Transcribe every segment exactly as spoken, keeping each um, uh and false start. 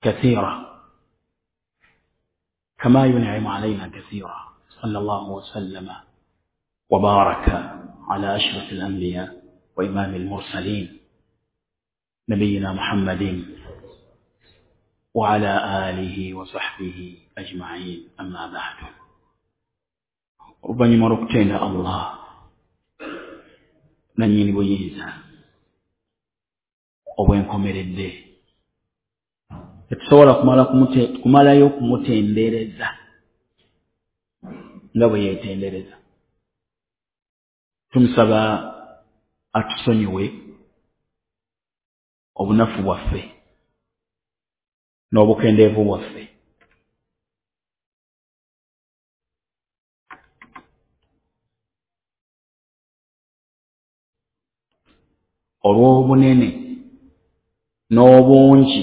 كثيرا كما ينعم علينا كثيرا. صلى الله وسلم وبارك على أشرف الأنبياء وإمام المرسلين نبينا محمد وعلى آله وصحبه أجمعين. أما بعد، oluvannyuma lw'okutenda Allah nannyini buyinza obwenkomeredde, tetusobola kumala kumalayo kumutendereza nga bwe yeetendereza. Tumusaba atusonyiwe obunafu bwaffe n'obukendeevu bwaffe, olw'obunene n'obungi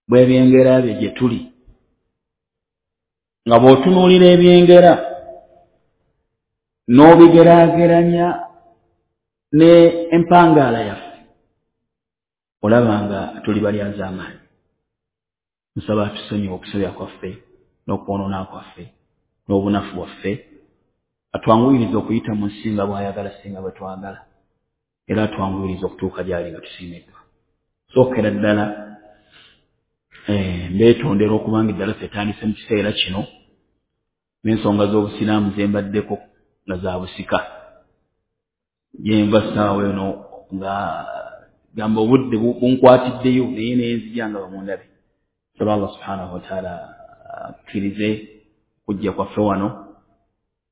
bw'ebyengera bye gye tuli, nga bw'otunuulira ebyengera n'obigeraageranya ne empangaala yaffe, olaba nga tuli balyazaamaanyi. Nsaba atusonyiwe okusobya kwaffe n'okwonoona kwaffe n'obunafu bwaffe, atwanguyirize okuyita mu nsi nga bw'ayagala singa bwe twagala, era atwanguyirize okutuuka gy'ali nga tusiimiddwa. Sookera ddala mbeetondera okubanga eddala etandise mu kiseera kino n'ensonga z'obusiraamu ze mbaddeko nga za busika. Gyenva ssaawa eno nga gamba obudde bunkwatiddeyo, naye nenzija nga bamundabe. Nsaba Allah subhanahu wataala akkirize okujja kwaffe wano,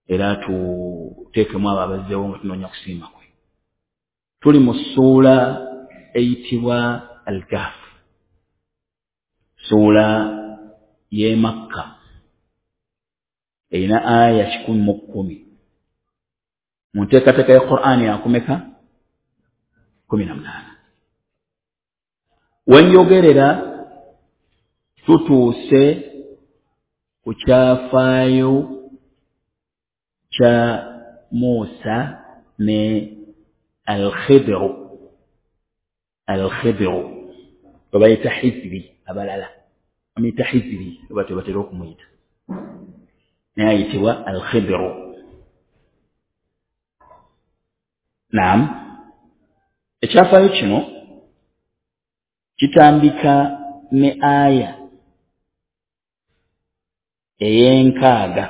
era tuteekemu abo abazzeewo nga tunoonya kusiima kwe. Tuli mu ssuula eyitibwa Al-Kahf, ssuula y'e Makka, erina aya kikumi mu kkumi. Mu nteekateeka ya Qur'ani yakumeka kumi na munaana. Wenjogerera tutuuse ku kyafaayo kya Musa ne Al-Khidru. Al-Khidru babayita Hiziri, abalala bamuyita Hiziri oba tebatera okumuyita, naye ayitibwa Al-Khidru. Naam, ekyafaayo kino kitandika ne aya ey'enkaaga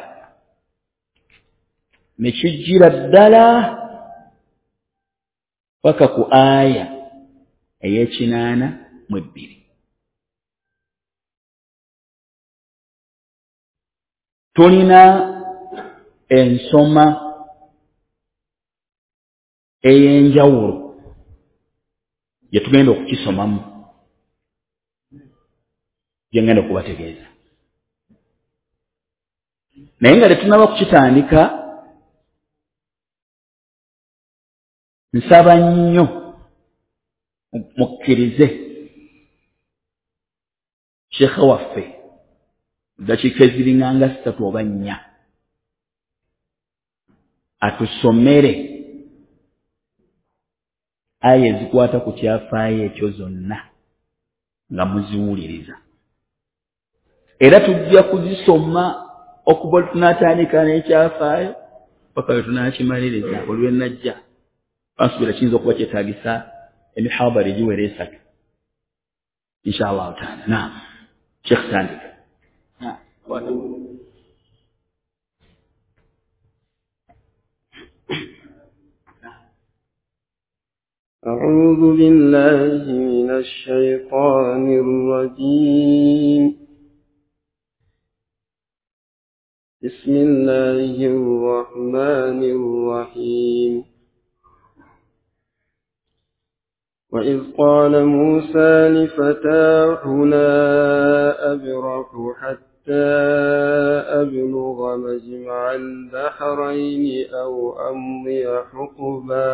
ne kijjira ddala paka ku aya ey'ekinaana mu ebbiri. Tulina ensoma ey'enjawulo gye tugenda okukisomamu, gye ngenda okubategeeza. Naye nga tetunnaba kukitandika, nsaba nnyo mukkirize sheekhe waffe ddakiika eziringanga ssatu oba nnya atusomere aya ezikwata ku kyafaayo ekyo zonna nga muziwuliriza, era tujja kuzisoma okuva lwe tunaatandika n'ekyafaayo paka lwe tunaakimaliriza. Olwe najja bansuubira kiyinza okuba kyetaagisa emihadara egiwera esatu insha Allahu taala. Naam, Sheikh tandika. أعوذ بالله من الشيطان الرجيم. بسم الله الرحمن الرحيم. وإذ قال موسى لفتاه لا أبرح حتى أبلغ مجمع البحرين أو أمضي حقبا.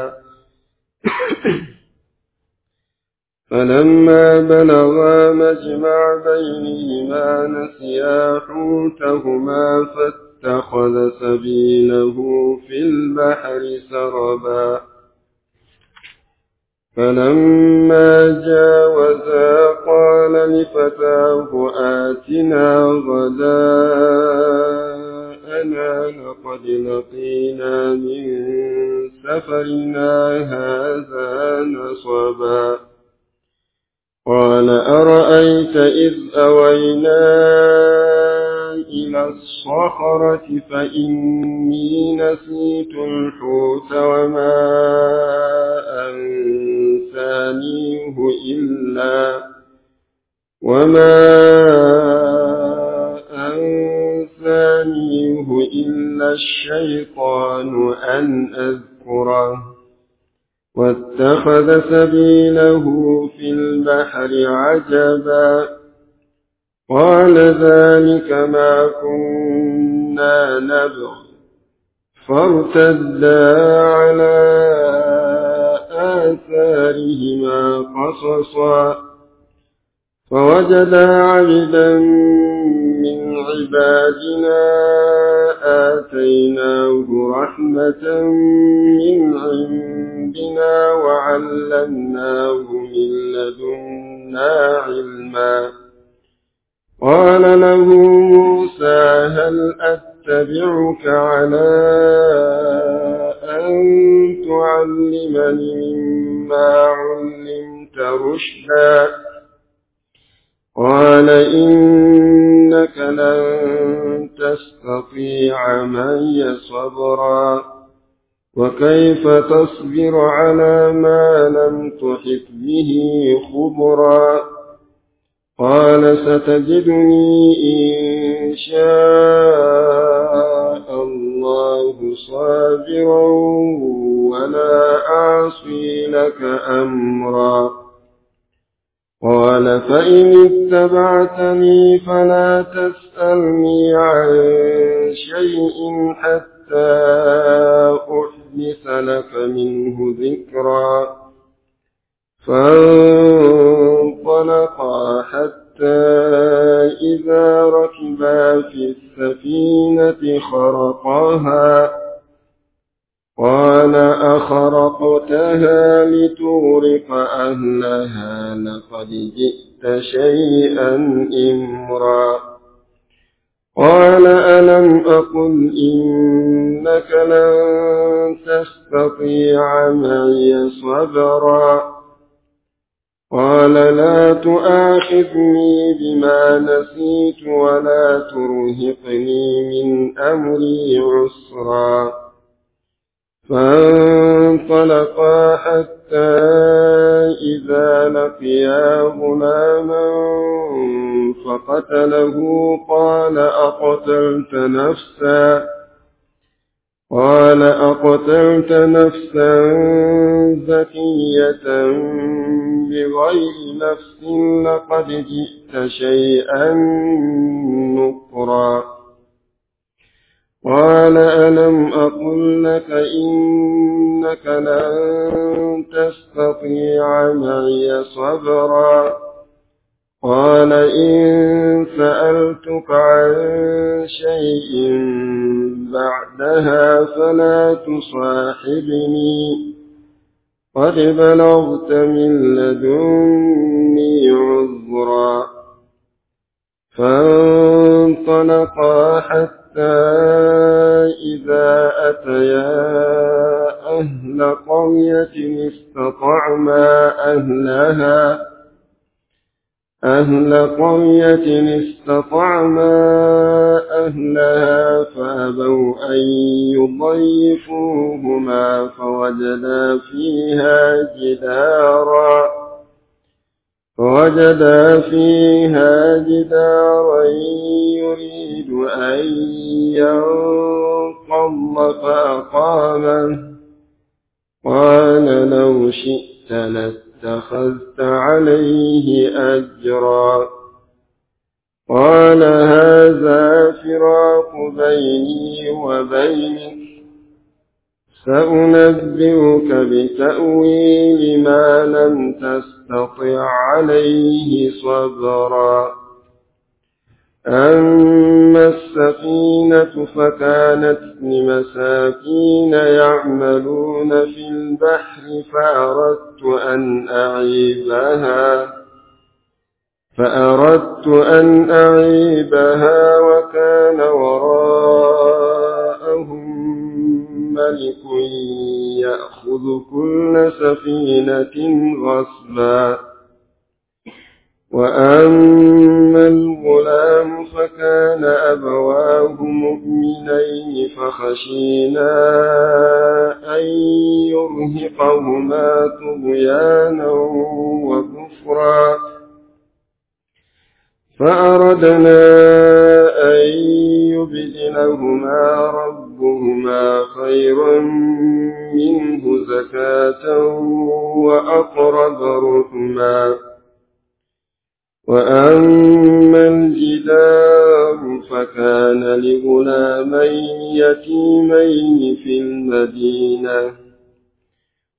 فلما بلغا مجمع بينهما نسيا حوتهما فاتخذ سبيله في البحر سربا. فلما جاوزا قال لفتاه آتنا غداءنا لقد لقينا من سفرنا هذا نصبا. قال أرأيت إذ أوينا إلى الصخرة فإني نسيت الحوت وما أنسانيه إلا وما أنسانيه إلا الشيطان أن أذكره واتخذ سبيله في البحر عجبا. قال ذلك ما كنا نبغ فارتدا على آثارهما قصصا فوجدا عبدا من عبادنا آتيناه رحمة من عندنا وعلمناه من لدنا علما. قال له موسى هل أتبعك على أن تعلمني مما علمت رشدا؟ قال إنك لن تستطيع معي صبرا وكيف تصبر على ما لم تحط به خبرا؟ قال ستجدني إن شاء الله صابرا ولا أعصي لك أمرا. قال فإن اتبعتني فلا تسألني عن شيء حتى أحدث لك منه ذكرا. فانطلقا حتى إذا ركبا في السفينة خرقها. قال أخرقتها لتغرق أهلها لقد جئت شيئا إمرا. قال ألم أقل إنك لن تستطيع معي صبرا؟ قال لا تؤاخذني بما نسيت ولا ترهقني من أمري عسرا. فانطلقا حتى إذا لقيا غلاما فقتله. قال أقتلت نفسا قال أقتلت نفسا زكية بغير نفس لقد جئت شيئا نكرا. قال ألم أقل لك إنك لن تستطيع معي صبرا؟ قال إن سألتك عن شيء بعدها فلا تصاحبني قد بلغت من لدني عذرا. فانطلقا حتى إذا أتيا أهل قرية استطعما أهلها أهل قرية استطعما أهلها فأبوا أن يضيفوهما فوجدا فيها جدارا فوجدا فيها جدارا يريد أن ينقض فأقامه. قال لو شئت لاتخذت عليه أجرا. قال هذا فراق بيني وبينك سأنبئك بتأويل ما لم تستطع عليه صبرا. أما السفينة فكانت لمساكين يعملون في البحر فأردت أن أعيبها فأردت أن أعيبها وكان وراءهم ملك يأخذ كل سفينة غصبا. وأما الغلام فكان أبواه مؤمنين فخشينا أن يرهقهما طغيانا وكفرا فأردنا أن يبدلهما ربهما خيرا منه زكاة وأقرب رحما. وأما الجدار فكان لغلامين يتيمين في المدينة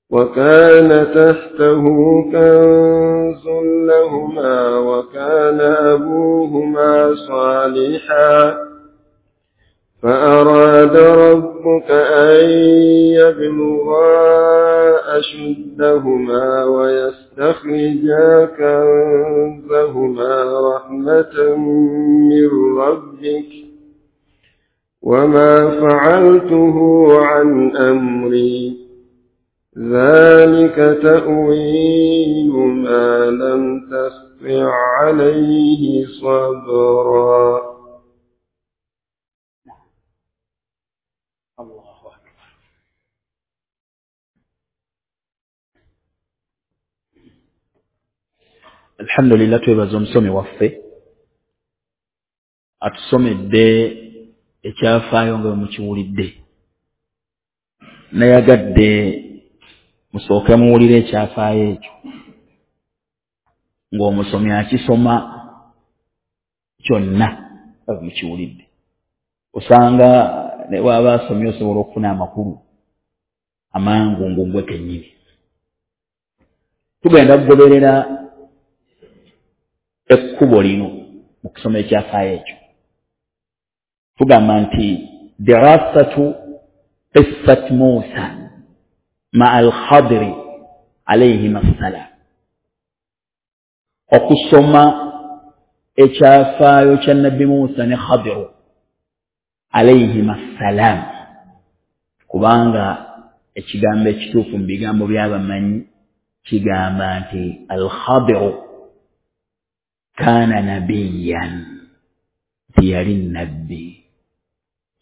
وكان تحته كنز لهما وكان أبوهما صالحا فأراد ربك أن يبلغا أشدهما ويستخرجا كنزهما رحمة من ربك وما فعلته عن أمري ذلك تأويل ما لم تسطع عليه صبرا. الله أكبر. الحمد لله twebaza omusomi waffe atusomedde ekyafaayo nga mukiwulidde. Nayagadde musooke muwulire ekyafaayo ekyo ng'omusomi akisoma kyonna nga mukiwulidde. Osanga ne bw'aba asomye osobola okufuna amakulu amangu ng'ogwe kennyini. Tugenda kugoberera ekkubo lino mu kusoma ekyafaayo ekyo. Tugamba nti dirasatu qissat Musa ma'a al-Khadri alayhima assalam, okusoma ekyafaayo kya Nabbi Musa ne Khadiru alayhima assalam, kubanga ekigambo ekituufu mu bigambo by'abamanyi kigamba nti al-Khadiru kaana nabiyyan, teyali nabbi,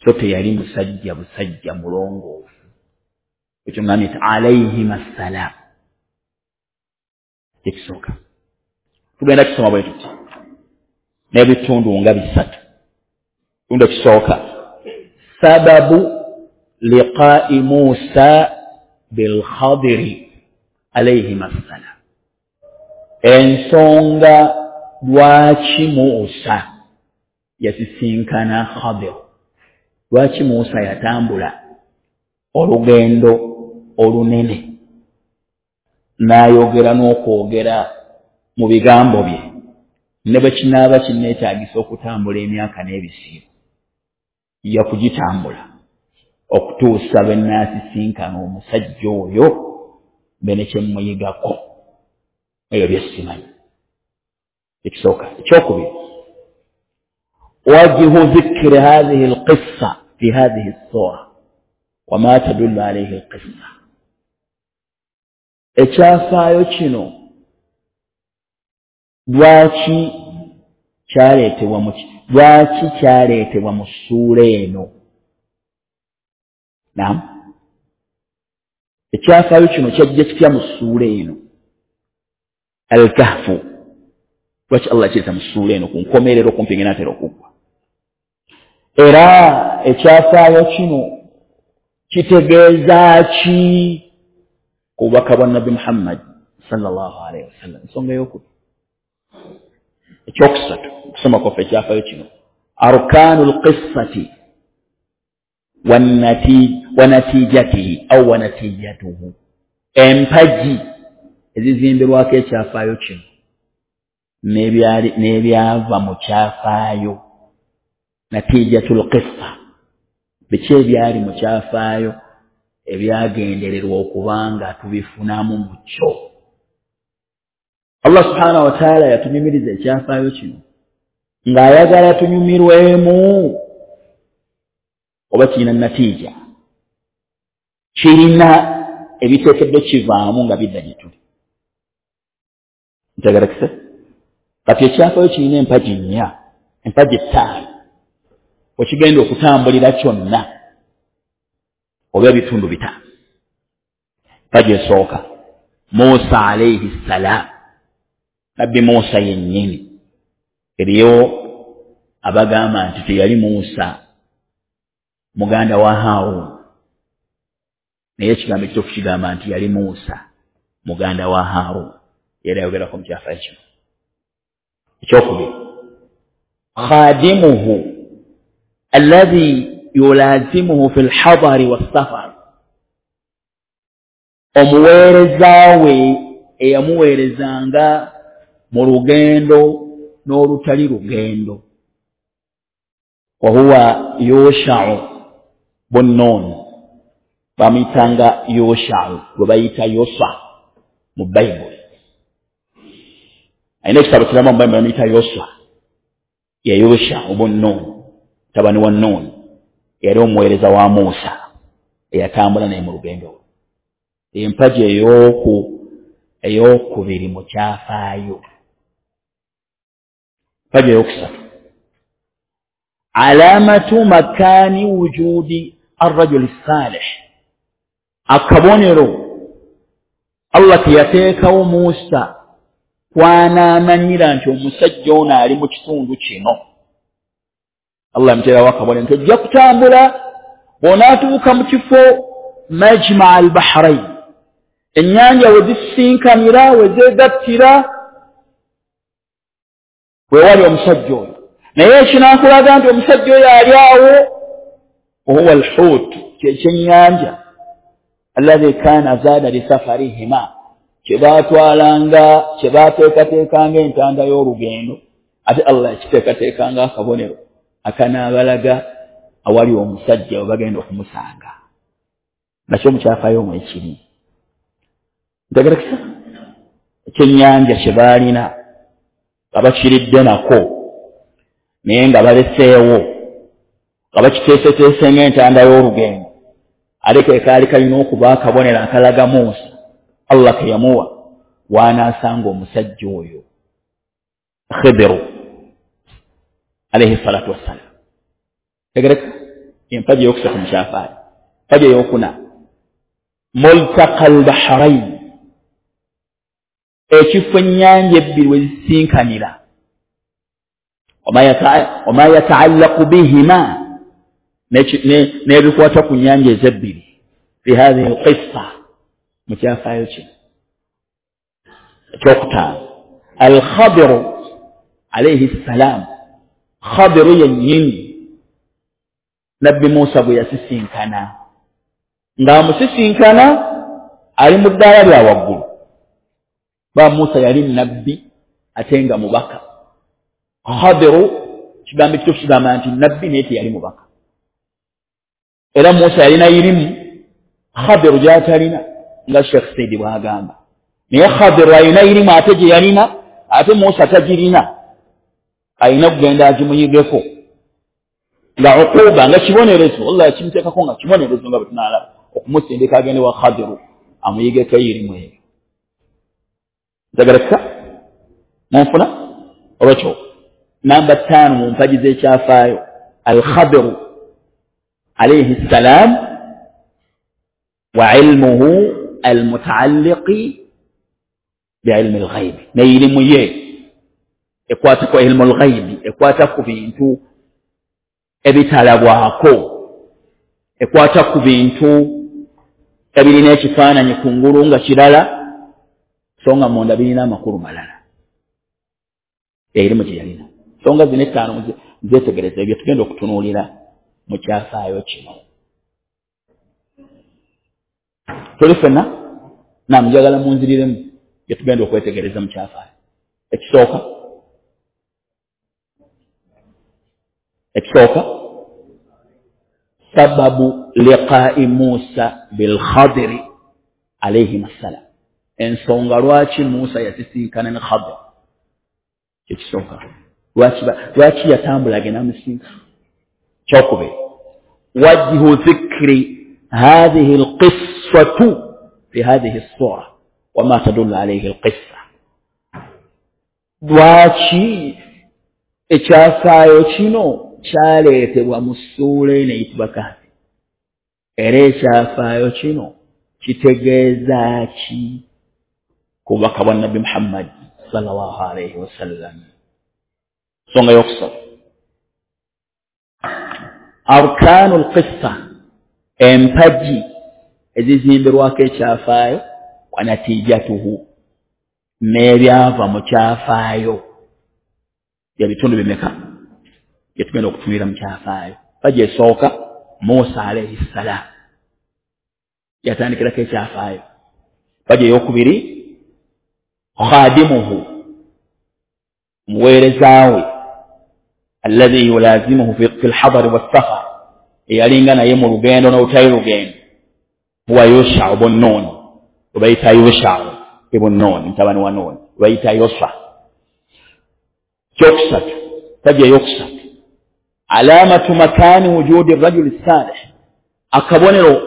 so teyali musajja busajja mulongoofu. Ekyo ngambye nti alayhima assalam ekisooka. Tugenda kusoma bwe tuti n'ebitundu nga bisatu. Ekitundu ekisooka, sababu liqaa'i Musa bilkhadiri alayhima assalam, ensonga lwaki Musa yasisinkana Khadir, lwaki Musa yatambula olugendo olunene n'ayogera n'okwogera mu bigambo bye ne bwe kinaaba kinneetaagisa okutambula emyaka n'ebisiibo yakugitambula okutuusa lwe nnaasisinkana omusajja oyo mbe ne kye mmuyigako ebyo bye simanyi. Ekisooka. Ekyokubiri, wajhu dhikri hadhihi alqissa fi hadhihi as-sura wama tadullu alayhi alqissa, ekyafaayo kino lwaki kyaleetebwa mu lwaki kyaleetebwa mu ssuula eno? Naam, ekyafaayo kino kyajja kitya mu ssuula eno Al-Kahfu? Lwaki Allah kireeta mu ssuula eno ku nkomerero kumpi ng'enaatera okuggwa? Era ekyafaayo kino kitegeeza ki ku bubaka bwa Nabbi Muhammad sallallahu alaihi wasallam? Ensonga ey'okubiri. Ekyokusatu, okusoma kwaffe ekyafaayo kino, arkaanu lqissati wanatijatihi au wanatijatuhu, empagi ezizimbirwako ekyafaayo kino n'ebyava mu kyafaayo. Natijatul qissa, biki ebyali mu kyafaayo ebyagendererwa okubanga tubifunamu mu kyo. Allah subhanahu wa ta'ala yatunyumiriza ekyafaayo kino ng'ayagala tunyumirwemu oba kirina natiija, kirina ebiteekeddwa kivaamu nga bidda gye tuli. Ntegerekese? Kati ekyafaayo kirina empagi nnya, empagi ttaano wekigenda okutambulira kyonna oba ebitundu bitaano. Empagi esooka, Musa alayhi ssalam, Nabbi Musa yennyini. Eriyo abagamba nti teyali Musa muganda wa Harun, naye ekigambo ekituufu kigamba nti yali Musa muganda wa Harun, era ayogerako mu kyafaayo kino. Ekyokubiri, khadimuhu alladhi yulazimuhu fi lhadari wassafar, omuweereza we eyamuweerezanga mu lugendo n'olutali lugendo, wahuwa Yushau bun Nun, bamuyitanga Yushau gwe bayita Yoswa mu Bayibuli. Alina ekitabo kiramba mu Bayibuli bamuyita Yoswa, ye Yushau bun Nun, mutabani wa Nun, yali omuweereza wa Musa eyatambula naye mu lugendo lwe. Empagi ey'oku ey'okubiri mu kyafaayo. Empagi ey'okusatu, alamatu makani wujudi arrajuli salih, akabonero Allah ke yateekawo Musa kwanaamanyira nti omusajja ono ali mu kitundu kino. Allah yamuteerawo akabonero nti ojja kutambula bw'onaatuuka mu kifo majmaa al-bahrain, ennyanja we zisisinkanira, we zeegattira, weewali omusajja oyo. Naye ekinaakulaga nti omusajja oyo ali awo, wahuwa alhut, kyekyennyanja alladhi kana zaada lisafarihima, kye baatwalanga, kye baateekateekanga entanda y'olugendo, ate Allah yakiteekateekanga akabonero akanaabalaga awali omusajja we bagenda okumusanga. Nakyo mu kyafaayo omwo ekiri. Ntegerekesa? Ekyennyanja kye baalina nga bakiridde nako, naye nga baleseewo, nga bakiteeseteese ng'entanda y'olugendo, ate ke kaali kalina okuba akabonero akalaga Musa Allah ke yamuwa w'anaasanga omusajja oyo Khidiru alayhi salatu wassalam. Tegereka? Empagi ey'okusatu mu kyafaayo. Empagi ey'okuna, multaqa al-bahrain, ekifo ennyanja ebbiri we zisisinkanira, wama yataallaqu bihima, n'ebikwata ku nnyanja ezebbiri, fi hadhihi alqissa, mu kyafaayo kino. Ekyokutaano, Alkhadiru alayhi ssalam, Khadiru yennyini Nabbi Musa bwe yasisinkana, ng'amusisinkana ali mu ddaala lya waggulu. Ba Musa yali nabbi ate nga mubaka. Khadiru kigambo ekituufu kigamba nti nabbi naye teyali mubaka. Era Musa yalina irimu Khadiru gy'atalina, nga Sheikh Saidi bw'agamba. Naye Khadiru alina irimu ate gye yalina, ate Musa tagirina, alina okugenda agimuyigeko nga uquba, nga kibonerezo. Allah yakimuteekako nga kibonerezo nga bwe tunaalaba, okumusindika agende wa Khadiru amuyigeko irimu eyo. Ntegerekeka? Munfuna? Olwekyo namba ttaano mu mpagi z'ekyafaayo, Al-Khadiru alayhi ssalam wa ilmuhu almutaalliqi biilmi lghaibi, n'erimu ye ekwata ku ilmu lghaibi, ekwata ku bintu ebitalabwako, ekwata ku bintu ebirina ekifaananyi kungulu nga kirala, so nga munda birina amakulu malala. Erimu gye yalina. Ensonga zino ettaano nzeetegereza ebyo tugenda okutunuulira mu kyafaayo kino. Tuli ffenna? Naam, njagala munziriremu bye tugenda okwetegereza mu kyafaayo. Ekisooka, ekisooka sababu liqa'i Musa bil Khadiri alayhi assalam, Ensonga lwaki Musa yasisinkana ne Khadir, kyekisooka. Lwaki yatambula agenda amusinkana? Kyokubiri, wajhu dhikri hadhihi alqissatu fi hadhihi as-sura wama tadullu alayhi alqissa. Lwaki ekyafaayo kino kyaleetebwa mu ssuula eno eyitibwa Kahfi, era ekyafaayo kino kitegeeza ki ku bubaka bwa Nabbi Muhammad sallallahu alayhi wasallam? Nsonga yokusatu, arkaanu lqissa, empagi ezizimbirwako ekyafaayo, wa natijatuhu, n'ebyava mu kyafaayo. Ebitundu bimeka byetugenda okutunulira mu kyafaayo? Pagi esooka, Musa alayhi ssalam yatandikirako ekyafaayo. Pagi eyokubiri, khadimuhu, muweereza we alladhi yulazimuhu fi lhadari wassafar, eyalinga naye mu lugendo n'olutali lugendo, huwa Yushau bun Nun, webayita Yushau ibun Nun, mutabani wa Nun, webayita Yoswa. Kyokusatu, pagi eyokusatu, alamatu makani wujudi rajuli salih, akabonero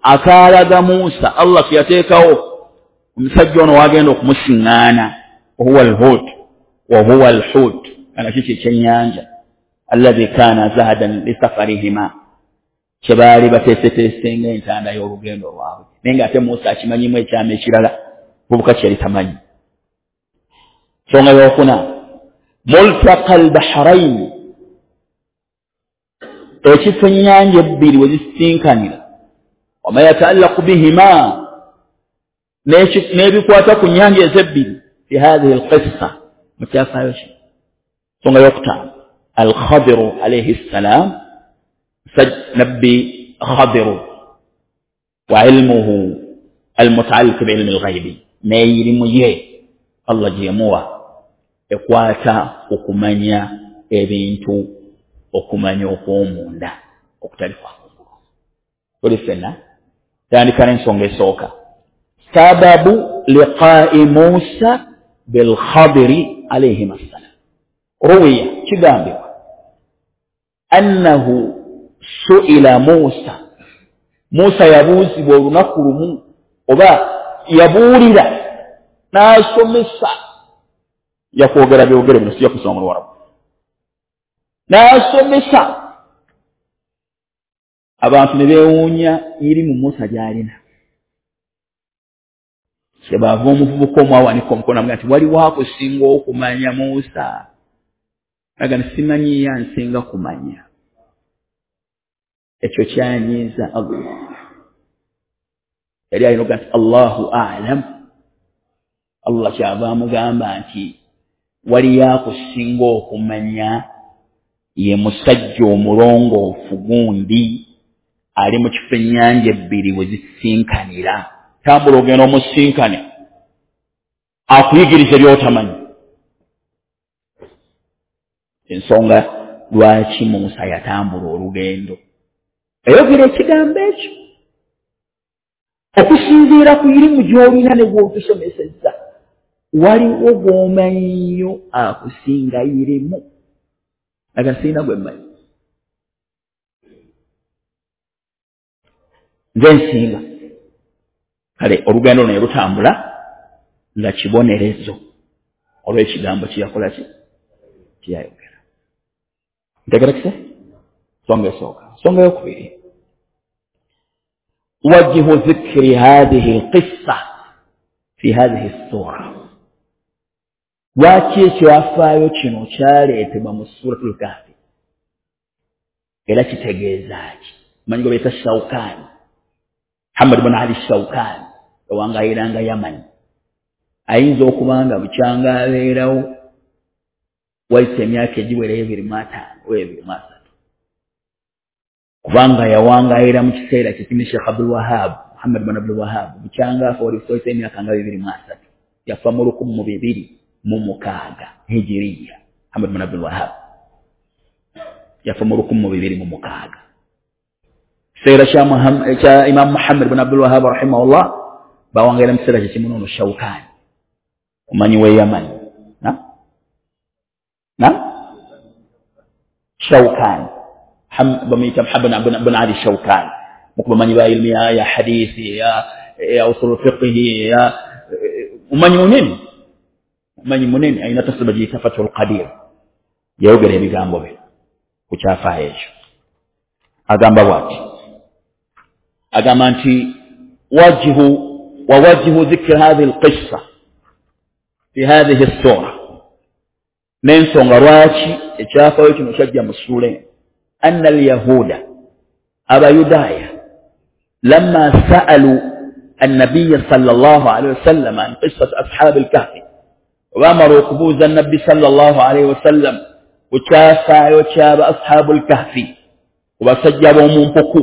akaalaga Musa Allah keyateekawo omusajja ono wagenda okumusiŋŋaana, wahuwa alhut wahuwa alhut, ana kiki ekyennyanja, alladhi kana zahadan lisafarihima, kye baali bateeseteese ng'entanda y'olugendo lwabwe. Naye ng'ate Musa akimanyimu ekyama ekirala bubuka kyeyali tamanyi. Nsonga yokuna, multaqa albahrain, ekifo ennyanja ebbiri we zisisinkanira, wama yataallaqu bihima, n'ebikwata ku nnyanja ezebbiri, fi hadhihi alqissa, mu kyafaayo kino. Nsonga yokutaano, alkhadiru alayhi ssalam, nabbi Khadiru wa ilmuhu almutaalliq biilmi alghaibi, n'eyirimu ye Allah gye yamuwa ekwata okumanya ebintu, okumanya okw'omunda okutali kwa kungulu. Tuli ffenna tandika n'ensonga esooka, sababu liqa'i Musa bilkhadiri alayhim assalam. Ruwiya, kigambibwa annahu su'ila Musa, Musa yabuuzibwa olunaku lumu, oba yabuulira n'asomesa, yakwogera byogere bino sijja kusoma mu Luwarabu, n'asomesa abantu ne beewuunya irimu Musa gy'alina. Kyebaava omuvubuka omu awanika omukono amugaa nti waliwo akusinga okumanya Musa? Aga nti simanyiyo ansinga kumanya. Ekyo kyanyiiza Allah. Yali alina okugaa nti Allahu a'lam. Allah kyava amugamba nti waliyo akusinga okumanya, ye musajja omulongoofu gundi ali mu kifo ennyanja ebbiri we zisisinkanira, tambula ogenda omusinkane akuyigirize by'otamanyi. Ensonga lwaki Musa yatambula olugendo, eyogera ekigambo ekyo okusinziira ku irimu gy'olina ne gw'otusomesezza, waliwo gw'omanyiyo akusinga irimu. Aga sirina gwe mmanyi, nze nsinga. Kale olugendo luno ne lutambula nga kibonerezo olw'ekigambo kye yakola ki kyeyayogera. Ntegerekese? Nsonga esooka. Nsonga eyokubiri, wajhu dhikri hadhihi alqissa fi hadhihi ssura. Lwaki ekyafaayo kino kyaleetebwa mu Suratul Kahfi, era kitegeeza ki? Manyi gwe bayita Shawkani, Muhammad bun Ali Shawkani, ewangayiranga Yamani. Ayinza okuba nga bukyanga abeerawo wayise emyaka egiwera ebiri mu ataano oba ebiri mu asatu, kubanga yawangayira mu kiseera kye Sheikh Abdul Wahab, Muhammad bun Abdul Wahab, bukyanga afa wayise emyaka nga bibiri mu asatu, yafa mu lukumi mu bibiri mu mukaaga hijiriya. Muhammad bun Abdul Wahab yafa mu lukumi mu bibiri mu mukaaga. Kiseera kya Imam Muhammad bun Abdul Wahab rahimahullah Bawangaira mu kiseera kyekimu n'ono Shawkaani, omanyi w'e Yamani. Na na Shawkaani bamuyita Muhammad bin Ali Shawkaani, mukubamanyi ba ilmu ya, ya hadithi ya, ya usul fiqhi ya umanyi munene, umanyi munene, alina tafsiri bagiyita Fathul Qadir. Yayogera ebigambo bye ku kyafaayo ekyo. Agamba bw'ati, agamba nti wajhu wa wajhu dhikri hadhihi alqissa fi hadhihi as-sura, n'ensonga lwaki ekyafaayo kino kyajja mu ssuula eno, anna alyahuda, abayudaaya, lamma sa'alu annabiya sallallahu alaihi wasallam an qissati ashabi alkahfi, baamala okubuuza nabbi sallallahu alaihi wasallam ku kyafaayo ky'aba ashabu alkahfi, ku basajja b'omu mpuku,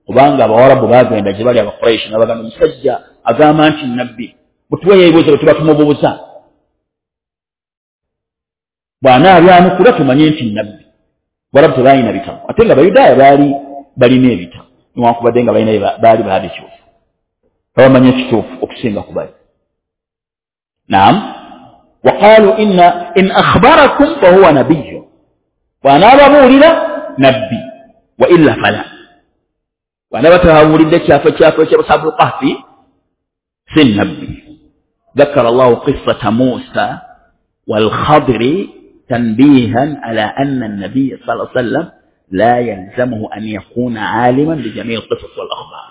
kubanga abawarabu baagenda gye bali Abakuraishi n'abagamba omusajja agamba nti nabbi, mutuweeyo ebibuuzo bwe tuba tumubuuza, bw'anaabyanukula tumanye nti nabbi. Bawarabu tebalina bitabo, ate nga Abayudaaya baali balina ebitabo, newankubadde nga balina baali baabikyusa, babamanyi ekituufu okusinga ku bali. Naam, waqaalu inna in akhbarakum fahuwa nabiyyu, bw'anaababuulira nabbi, wa illa fala, bw'anaaba tababuulidde kyafo kyafo ky'ashabul kahfi si nabbi. Dhakara Allahu qissata Musa wal Khadri tanbihan ala anna an-nabiy sallallahu alayhi wasallam la yalzamuhu an yakuna aliman bi jami' al-qisas wal akhbar.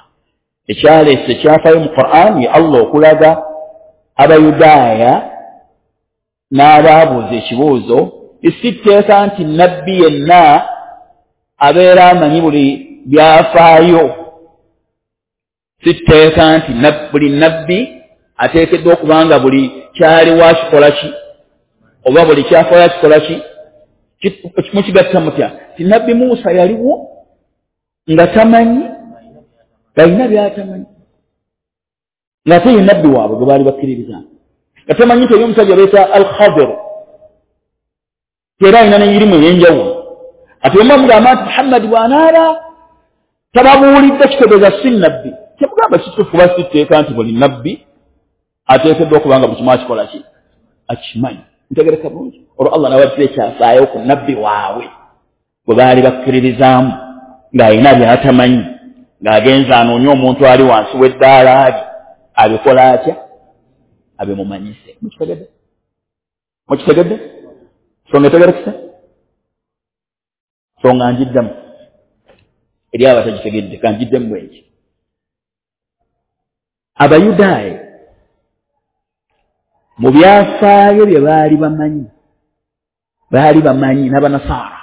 Ekyaleese kyafaayo mu Qur'an ye Allah okulaga Abayudaaya n'abaabuuza ekibuuzo, si tteeka nti nabbi yenna abeera amanyi buli byafaayo, si tteeka nti buli nabbi ateekeddwa okuba nga buli kyaliwo akikola ki oba buli kyafaayo akikola ki. Mukigatta mutya nti nabbi Musa yaliwo nga tamanyi, alina byatamanyi, ng'ate ye nabbi waabwe gwe baali bakkiririza, nga tamanyi nti omusajja beeta Al-Khadir era alina n'emirimu ey'enjawulo. Ate omu amugamba nti Muhammad bw'anaaba tababuulidde kitegeeza si nabbi. Temugamba kituufu kuba si tteeka nti buli nabbi ateekeddwa okuba nga buli kimu akikola ki akimanyi. Ntegereka bulungi. Olwo Allah n'abaddira ekyafaayo ku nabbi waabwe gwe baali bakkiririzaamu ng'alina by'atamanyi, ng'agenza anoonya omuntu ali wansi w'eddaala ali abikola atya abimumanyise. Mukitegedde? Mukitegedde? Songa etegerekesa? Songa njiddamu eri abatagitegedde, kanjiddemu bwenki. Abayudaaya mu byafaayo bye baali bamanyi, baali bamanyi n'Abanasaara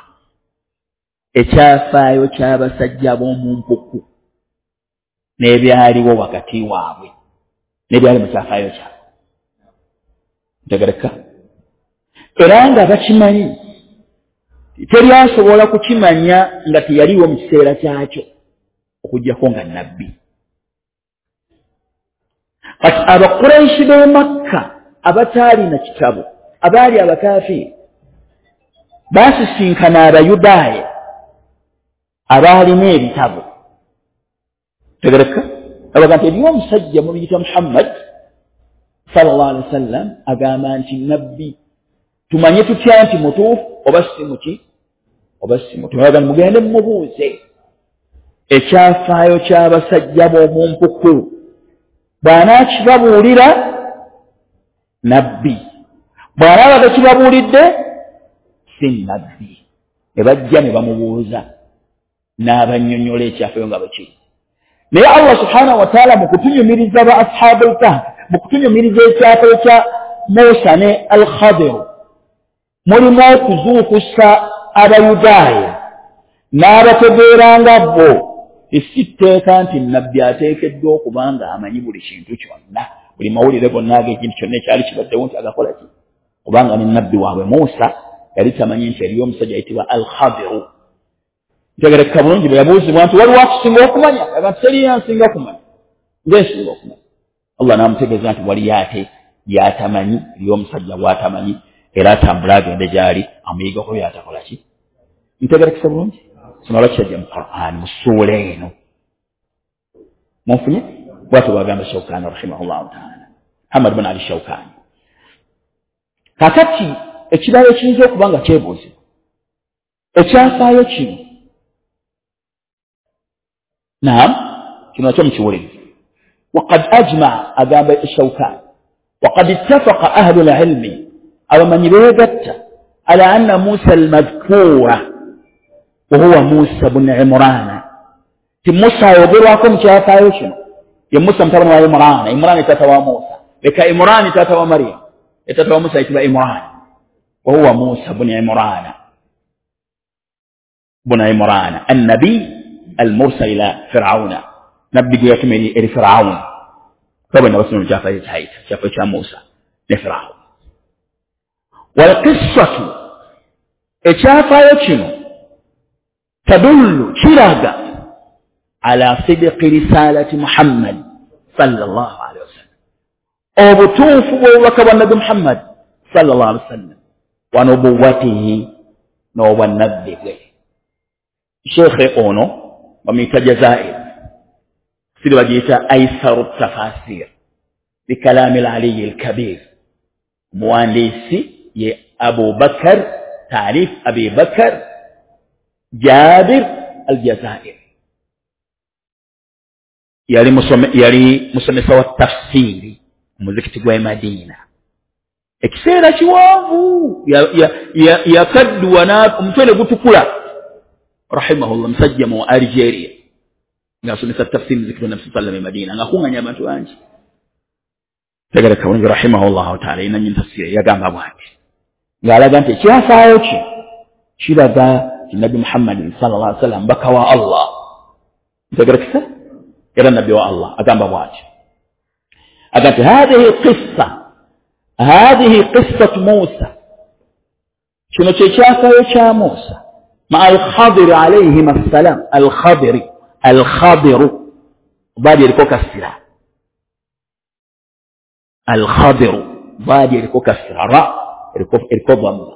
ekyafaayo ky'abasajja b'omu mpuku n'ebyaliwo wakati waabwe n'ebyali mu kyafaayo kyabwe. Ntegereka? Era nga bakimanyi, teri asobola kukimanya nga teyaliwo mu kiseera kyakyo okuggyako nga nabbi. Kati Abakuraishi b'e Makka abataalina kitabo, abaali abakafiiri, baasisinkana Abayudaaya abaalina ebitabo. Tegereka? Abaga nti eriyo omusajja mubiyita Muhammad sallallahu alaihi wasallam agamba nti nabbi, tumanye tutya nti mutuufu oba si muki oba si mutuufu? Abaga nti mugende mumubuuze ekyafaayo ky'abasajja b'omu mpuku, bw'anaakibabuulira nabbi, bw'anaaba takibabuulidde si nabbi. Ne bajja ne bamubuuza n'abannyonnyola ekyafaayo nga bwe kiri. Naye Allah subhanahu wa ta'ala mu kutunyumiriza ba ashabul kahf, mu kutunyumiriza ekyafaayo kya Musa ne Al-Khadir, mulimu okuzuukusa Abayudaaya n'abategeeranga bo si tteeka nti nabbi ateekeddwa okuba nga amanyi buli kintu kyonna, buli mawulire gonna ag'ekintu kyonna ekyali kibaddewo nti agakola ki, kubanga ne nabbi waabwe Musa yali tamanyi nti eriyo omusajja ayitibwa Al-Khadiru. Ntegereka bulungi bwe yabuuzibwa nti waliwo akusinga okumanya, agamba nti teriyo ansinga kumanya, nze nsinga okumanya. Allah n'amutegeeza nti waliyo ate by'atamanyi, eriyo omusajja bw'atamanyi, era atambula agende gy'ali amuyigako by'atakola ki. Ntegerekesa bulungi? Kino lwaki kyajja mu Qur'an mu ssuula eno? Munfunye? Bwatyo bwagamba Shawkani rahimahullahu taala, Muhammad bin Ali Shawkani. Kakati ekirala ekiyinza okuba nga kyebuuzibwa, ekyafaayo kino, naam, kino nakyo mukiwuliriza. Waqad ajmaa, agamba Shawkani, waqad ittafaqa ahlu lilmi, abamanyi beegatta, ala anna Musa almadhkura wahuwa Musa bnu Imurana, ti Musa ayogerwako mu kyafaayo kino ye Musa mutabani wa Imurana. Imurana taata wa Musa, leka Imurani taata wa Mariam, taata wa Musa ayitibwa Imurana. Wahuwa Musa bnu Imurana bnu Imurana annabi almursal ila Firauna, nabbi gwe yatuma eri Firauna. Kabwe nabasoma mu kyafaayo kyayita kyafaayo kya Musa ne Firauna. Walqissatu, ekyafaayo kino tadullu, kiraga ala sidqi risalati Muhammad sallallahu alaihi wasallam, obutuufu bw'obubaka bwa Nabbi Muhammad sallallahu alaihi wasallam, wa nubuwatihi, n'obwannabbi bwe. Sheekhe ono bamuyita Jazair, siri bagiyita Aisaru Tafasir bikalami al-Aliyi al-Kabir, muwandiisi ye Abu Bakar, Taarif Abi Bakar Jabir al-Jazair. Yali musome, yali musomesa wa tafsiri muzikiti gwa Madina ekiseera kiwanvu, yakadduwa omutwe ne gutukula rahimahullah, musajja mu Algeria ng'asomesa tafsiri muzikiti gwa Nabi sallallahu alaihi Madina, ng'akuŋŋanya abantu bangi. Tegereka bulungi rahimahullahu taala, yenannyini tafsiri yagamba bw'ati, ng'alaga nti ekyafaayo kye kiraga nti Nabbi Muhammad sallallahu alaihi wasallam mbaka wa Allah. Ntegerekesa era nabbi wa Allah agamba bw'ati, agamba nti hadhihi qissa, hadhihi qissatu Musa, kino kye kyafaayo kya Musa maa al-Khadiri alayhim assalam. Al-Khadiri, Al-Khadiru baadi eriko kasira, Al-Khadiru baadi eriko kasira, ra eriko eriko dhamma,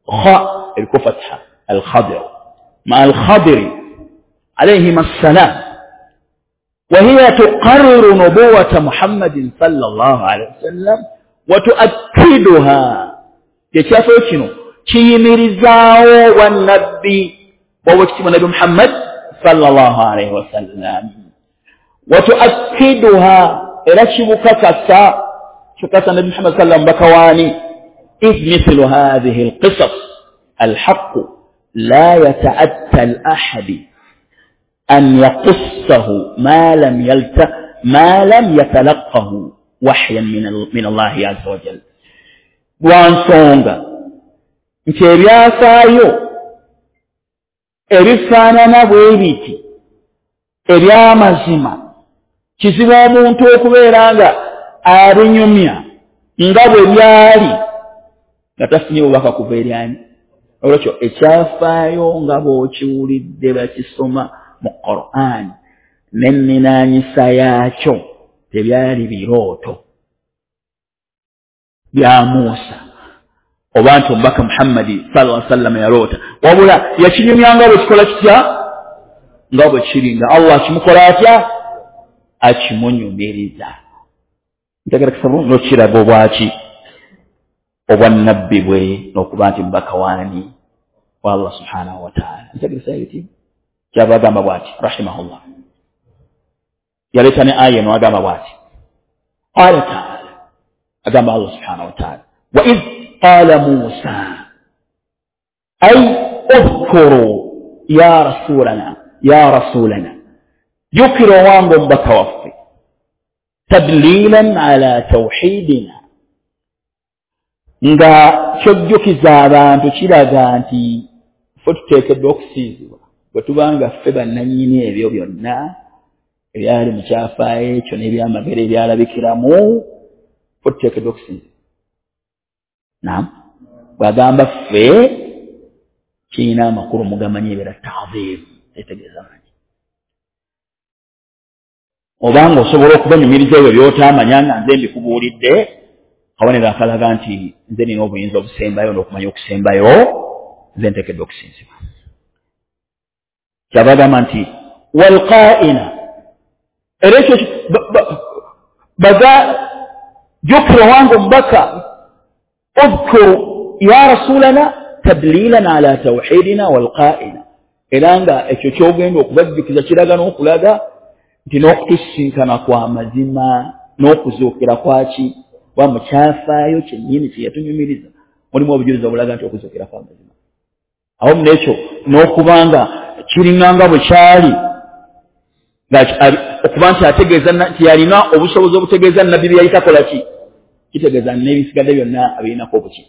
kha eriko fatha, Al-Khadiru maa al-Khadiri alayhim assalam, وهي تقرر نبوة محمد صلى الله عليه وسلم وتؤكدها. Ekyafaayo kino kiyimirizaawo wannabbi bw'owekitiibwa Nabbi Muhammad sallallahu alaihi wasallam, watuakkiduha, era kibukakasa, kikakasa Nabbi Muhammad sallam mbaka waani. Idh mithlu hadhihi alqisas alhaqu la yata'atta al-ahadi an yaqussahu ma lam yalta ma lam yatalaqahu wahyan min min Allahi azza wa jalla. Lwa nsonga nti ebyafaayo ebifaanana bwe biti eby'amazima kizibu omuntu okubeera nga abinyumya nga bwe byali nga tafunye bubaka kuva eri ani. Olwekyo ekyafaayo nga bw'okiwulidde bakisoma mu Qur'an n'enninanyisa yaakyo tebyali birooto bya Musa oba nti omubaka Muhammadi sallallahu alaihi wasallam yaloota, wabula yakinyumya nga bwe kikola kitya, nga bwe kiri, nga Allah akimukola atya, akimunyumiriza. Ntegerekesa bulungi n'okiraga obwaki obwannabbi bwe n'okuba nti mubaka waani wa Allah subhanahu wa ta'ala. Ntegeresa ebiti kyava agamba bw'ati rahimahullah, yaleeta ne aya eno agamba bw'ati, qala ta'ala, agamba Allah subhanahu wa ta'ala, wa idh qala Musa ay udhkuru ya rasulana, ya rasulana, jjukira owange omubaka waffe, tadlilan ala tawhidina, nga kyojjukiza abantu kiraga nti ffe tuteekeddwa okusiizibwa bwe tubanga ffe bannannyini ebyo byonna ebyali mu kyafaayo ekyo n'ebyamagero ebyalabikiramu, ffe tuteekeddwa okusinzibwa. Naam, bw'agamba ffe kirina amakulu mugamanyi ebeera ta'dhim, etegeeza manyi. Obanga osobola okubanyumiriza ebyo by'otaamanya nga nze mbikubuulidde, kabonero akalaga nti nze nina obuyinza obusembayo n'okumanya okusembayo, nze nteekeddwa okusinzibwa. Kyava agamba nti walqaina, Era ekyo baga jjukira wange omubaka udhkur ya rasulana tadlilan ala tawhidina walqaina era nga ekyo kyogenda okubajjukiza kiraga n'okulaga nti n'okutusisinkana kwa mazima n'okuzuukira kwaki wa mu kyafaayo kyennyini kye yatunyumiriza mulimu obujulizi obulaga nti okuzuukira kwa mazima awamu n'ekyo n'okubanga kiringanga bwe kyali okuba nti ategeeza nti yalina obusobozi obutegeeza nabbi bye yali takola ki kitegeeza n'ebisigadde byonna abirinako obuki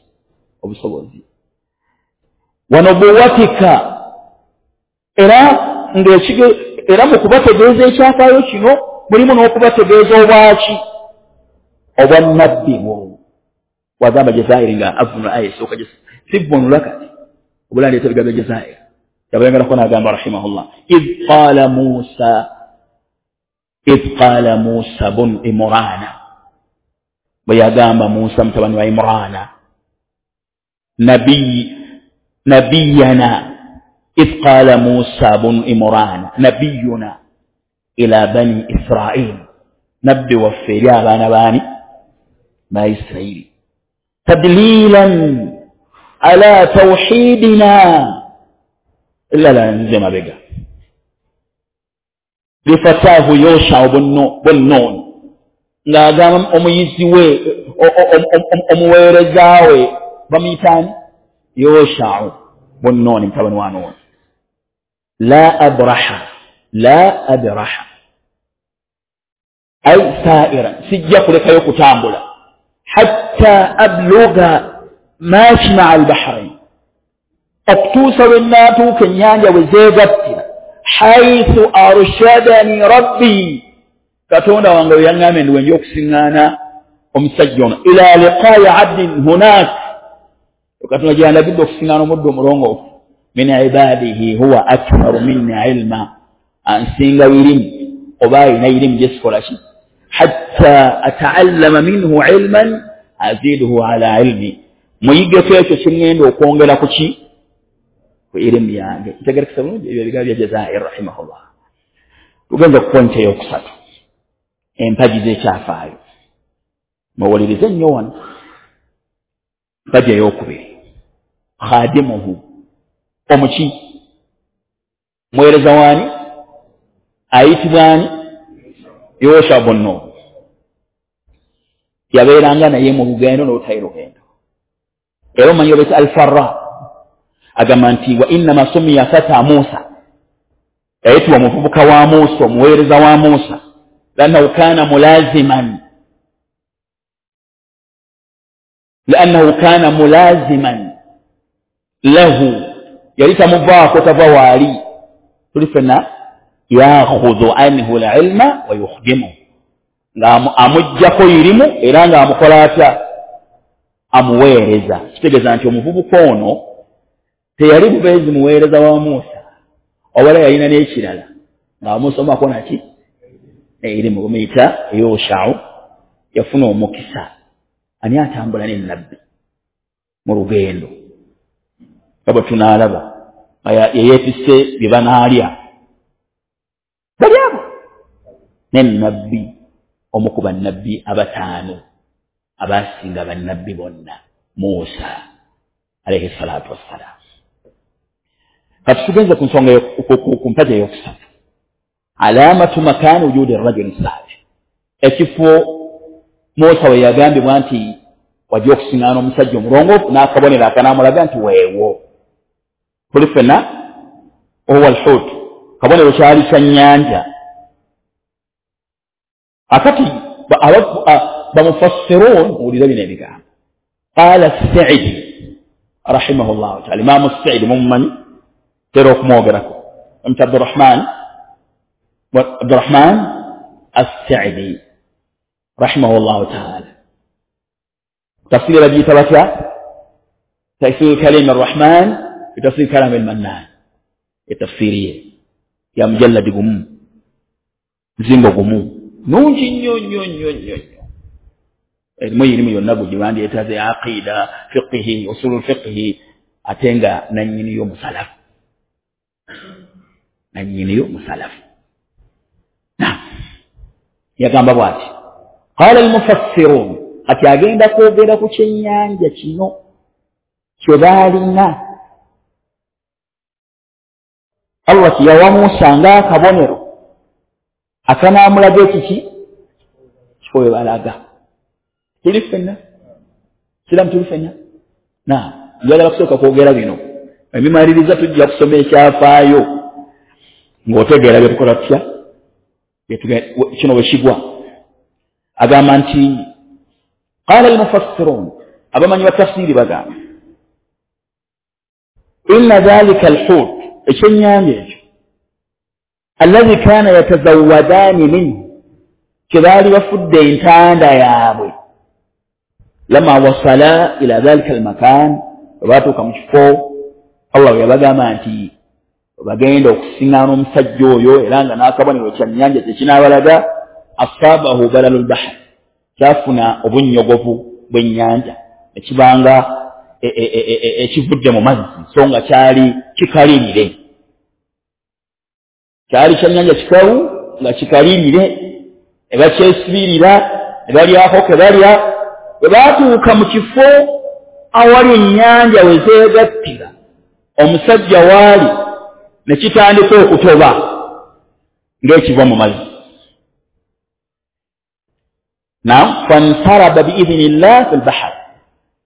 obusobozi wanubuwatika era ng'ekige era mu kubategeeza ekyafaayo kino mulimu n'okubategeeza obwaki obwannabbi bwo wagamba Jazairi nga avunula aya esooka sivunula kati obulandeeta ebigambo bya Jazairi yabayangalako n'agamba rahimahullah idh qaala Musa idh qaala Musa bun Imrana bwe yagamba Musa mutabani wa Imrana nabiyi nabiyana idh qaala Musa bun Imrana nabiyuna ila bani Israil nabbi waffe eri abaana baani ba Israili tadlilan ala tawhidina illa nze mabega lifatahu Yosha bun Nun ng'agamba omuyizi we omuweereza we bamuyitaani Yosha bun Nun mutabani wa Nun la abraha la abraha ay sa'iran sijja kulekayo kutambula hatta abluga majma'a al-bahrain okutuusa lwe nnaatuuka ennyanja we zeegattira haithu arshadani rabbi katonda wange we yaŋŋambye ndi wenja okusiŋŋaana omusajja ono ila liqaayi abdin hunak katonda gye yandagidde okusiŋŋaana omuddu omulongoofu min ibadihi huwa aktharu minni ilma ansinga irimu oba ayina irimu gye sikola ki hatta ataallama minhu ilman aziduhu ala ilmi muyigeko ekyo kyeŋŋenda okwongera ku ki ku irimu yange ntegerekesa bulungi ebyo ebigambo bya Jazair rahimahullah tugenza ku pointi eyokusatu empagi z'ekyafaayo muwulirize nnyo wano empagi eyokubiri khadimuhu omuki muweereza waani ayitibwa ani Yosha bun Nun yabeeranga naye mu lugendo n'olutayi lugendo era omanyi obeeta Alfarra agamba nti wa innama sumiya fata Musa yayitibwa omuvubuka wa Musa omuweereza wa Musa liannahu kana mulaziman liannahu kana mulaziman lahu yali tamuvaako tava waali tuli ffenna yakhudhu anhu lilma wa yukhdimuhu nga amuggyako irimu era ng'amukola atya amuweereza kitegeeza nti omuvubuka ono teyali bubeezi muweereza wa Musa wabula yalina n'ekirala ng'amusomako naki erimu bamuyita Yoshau yafuna omukisa ani atambula ne nabbi mu lugendo nga bwe tunaalaba nga yeyeetisse bye banaalya bali abo ne nabbi omu ku bannabbi abataano abasinga bannabbi bonna Musa alayhi salatu wassalam kati tugenze ku nsonga ku mpaja eyokusatu alamatu makani wujudi rajuli salih ekifo Musa we yagambibwa nti wajja okusiŋŋaana omusajja omulongoofu n'akabonero akanaamulaga nti weewo tuli ffenna ohuwa alhut kabonero kyali kya nnyanja akati bamufassirun wulira bino ebigambo qaala Saidi rahimahullahu taala Imaamu Saidi mumumanyi tera okumwogerako bamuyita Abdurahman Abdurahman Assaidi rahimahullahu taala tafsiri bagiyita batya tafsiri kalimi arrahman bitafsiri kalami almannan etafsiri ye ya mujalladi gumu mzingo gumu nungi nnyo nnyo nnyo nnyo nnyo erimu irimu yonna gugiwandyetaze aqida fiqihi usulul fiqihi ate nga nannyiniyo musalafu nannyiniyo musalafu na Yagamba bw'ati, qala almufassirun, ati agenda kwogera ku kyennyanja kino kye baalina Allah kiyawa Musa ng'akabonero akanaamulaga ekiki kifo we balaga. Tuli ffenna siramu, tuli ffenna na njagala kusooka kwogera bino, ebimaliriza tujja kusoma ekyafaayo ng'otegeera bye tukola tutya kino bwe kigwa. Agamba nti qala almufassirun, abamanyi ba tafsiri bagamba inna dhalika alhut, ekyennyanja ekyo alladhi kana yatazawwadani minhu, kye baali bafudde entanda yaabwe, lama wasala ila dhalika almakan, bwe baatuuka mu kifo Allah bwe yabagamba nti bagenda okusiŋŋaana omusajja oyo, era nga n'akabonero kyannyanja kye kinaabalaga, asaabahu balalu lbahr, kyafuna obunnyogovu bw'ennyanja ekibanga ekivudde mu mazzi, so nga kyali kikalirire, kyali kyannyanja kikalu nga kikalirire, ne bakyesibirira ne balyako ke balya. Bwe baatuuka mu kifo awali ennyanja we zeegattira, omusajja waali ne kitandika okutoba ng'ekiva mu mazzi. Naam, fansaraba biidhinillah fi lbahar,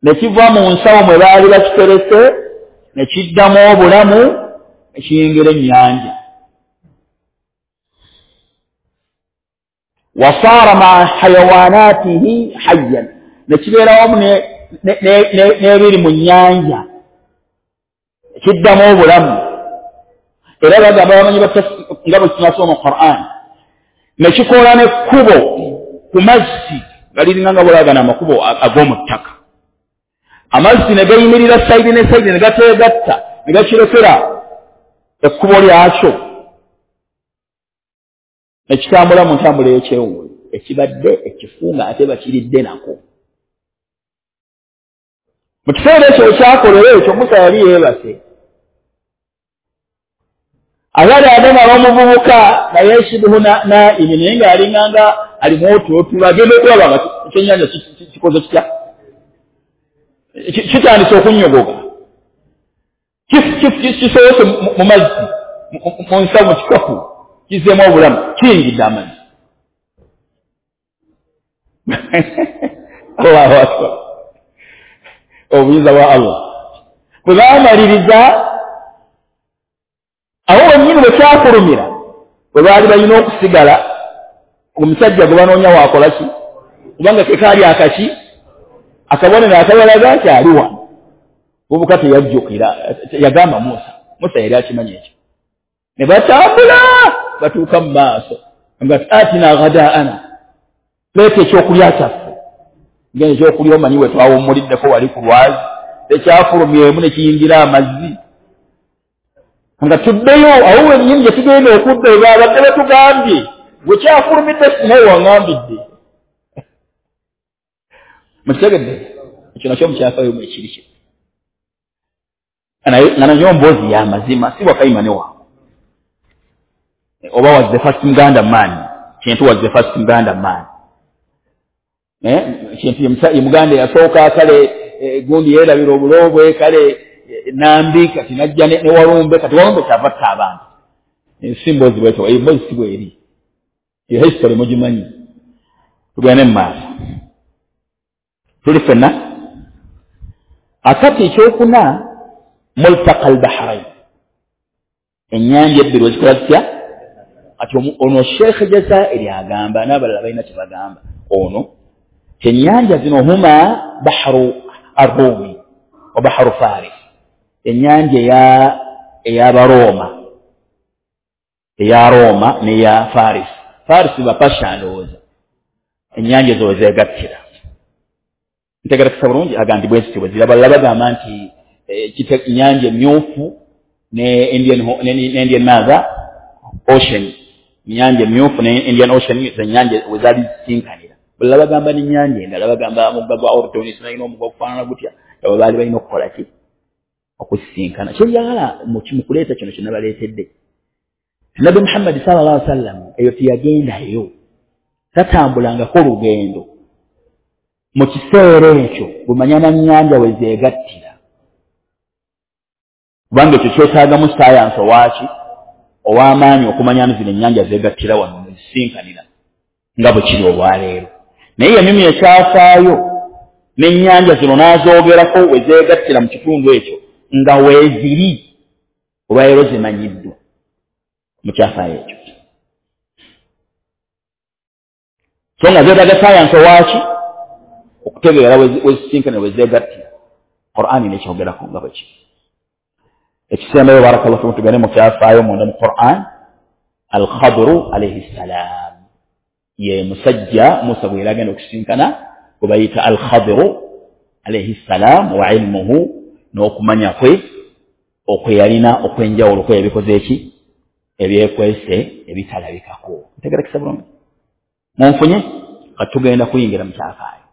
ne kiva mu nsawo mwe baali bakiterese ne kiddamu obulamu ne kiyingira ennyanja. Wasaara maa hayawanatihi hayyan, ne kibeera wamu n'ebiri mu nnyanja, kiddamu obulamu. Era bagamba abamanyi nga bwe tunasoma mu Qur'an, ne kikola n'ekkubo ku mazzi nga liringa nga bwolagana amakubo ag'omu ttaka, amazzi ne gayimirira sayidi ne sayidi ne gateegatta ne gakirekera ekkubo lyakyo ne kitambula mu ntambula ey'ekyewuunyo, ekibadde ekifu nga ate bakiridde nako. Mu kiseera ekyo ekyakolera ekyo Musa yali yeebase, abali adamala omuvubuka naye shibuhu naimi, naye ng'alinganga alimu otulotulo, agenda okulaba nga ekyennyanja kikoze kitya, kitandise okunnyogoga, kisoose mu mazzi mu nsawo mu kikapu, kizzeemu obulamu, kiyingidde amazzi. Allahu akbar, obuyinza bwa Allah. Bwe baamaliriza awo wennyini bwe kyakulumira, bwe baali balina okusigala, omusajja gwe banoonya waakola ki, kubanga ke kaali akaki akabonero akabalaga nti ali wano. Muvubuka teyajjukira, yagamba Musa, Musa yali akimanyi ekyo. Ne batambula batuuka mu maaso, nga atina ghadaana, leeta ekyokulya kyaffe. Ngenda ekyokulya omanyi we twawummuliddeko wali ku lwazi, tekyafulumyemu ne kiyingira amazzi. Nga tuddeyo awo wennyini gye tugenda okudda, babadde batugambye gwe kyafulumidde naye waŋŋambidde. Mukitegedde ekyo nakyo mukyafaayo mu ekiri kye nga nayo mboozi ya mazima, si wakayima ne wangu. Oba was the first Muganda man, Kintu was the first Muganda man. Eh, Kintu ye Muganda yasooka kale gundi yeerabira obulo bwe kale Nambi kati najja ne Walumbe, kati Walumbe kyava atta abantu. Si mboozi bwetyo, eyo mboozi si bweri, eyo history mugimanyi. Tugende mu maaso, tuli ffenna. Akati ekyokuna, multaqa albahrain, ennyanja ebbiri wezikola zitya. Kati ono Sheikh Jazairi agamba n'abalala balina kye bagamba, ono kyennyanja zino huma bahru arrumi wa bahru faris, ennyanja eya ey'abarooma, eya Roma n'eya Faris. Faris bapasha ndowooza, ennyanja ezo wezeegattira. Ntegerekesa bulungi, agamba nti bwe zityo bwe ziri. Abalala bagamba nti ennyanja emyufu ne Indian ne Indian Mother Ocean, ennyanja emyufu ne Indian Ocean zennyanja we zaali zisinkanira. Balala bagamba n'ennyanja endala, bagamba omugga gwa Ordoni sinalina omugga okufaanana gutya, abo baali balina okukola ki okusisinkana. Kyenjagala mu kuleeta kino kye nabaleetedde, Nabbi Muhammad sallallahu alaihi wasallam eyo teyagendayo, Tatambulangako lugendo mu kiseera ekyo bumanya na nnyanja we zeegattira, kubanga ekyo kyetaagamu sayansi owaaki ow'amaanyi okumanya nti zino ennyanja zeegattira wano nezisinkanira nga bwe kiri olwaleero. Naye yanyumya ekyafaayo n'ennyanja zino n'azoogerako we zeegattira mu kitundu ekyo nga weeziri olwaleero zimanyiddwa mu kyafaayo ekyo. So nga zeetaaga sayansi owaaki okutegeera wezisinkanira we zeegattira. Qur'ani nekyogerako nga bwe kiri. Ekisembayo barakallahu fikum tugende mu kyafaayo munda mu Qur'an. Al-Khadru alayhi salam ye musajja Musa bwe yali agenda okusinkana gwe bayita Al-Khadru alayhi salam wa ilmuhu, n'okumanya kwe okwe yalina okw'enjawulo kwe yabikoze eki ebyekwese ebitalabikako. Ntegerekesa bulungi? Munfunye? Kati tugenda kuyingira mu kyafaayo.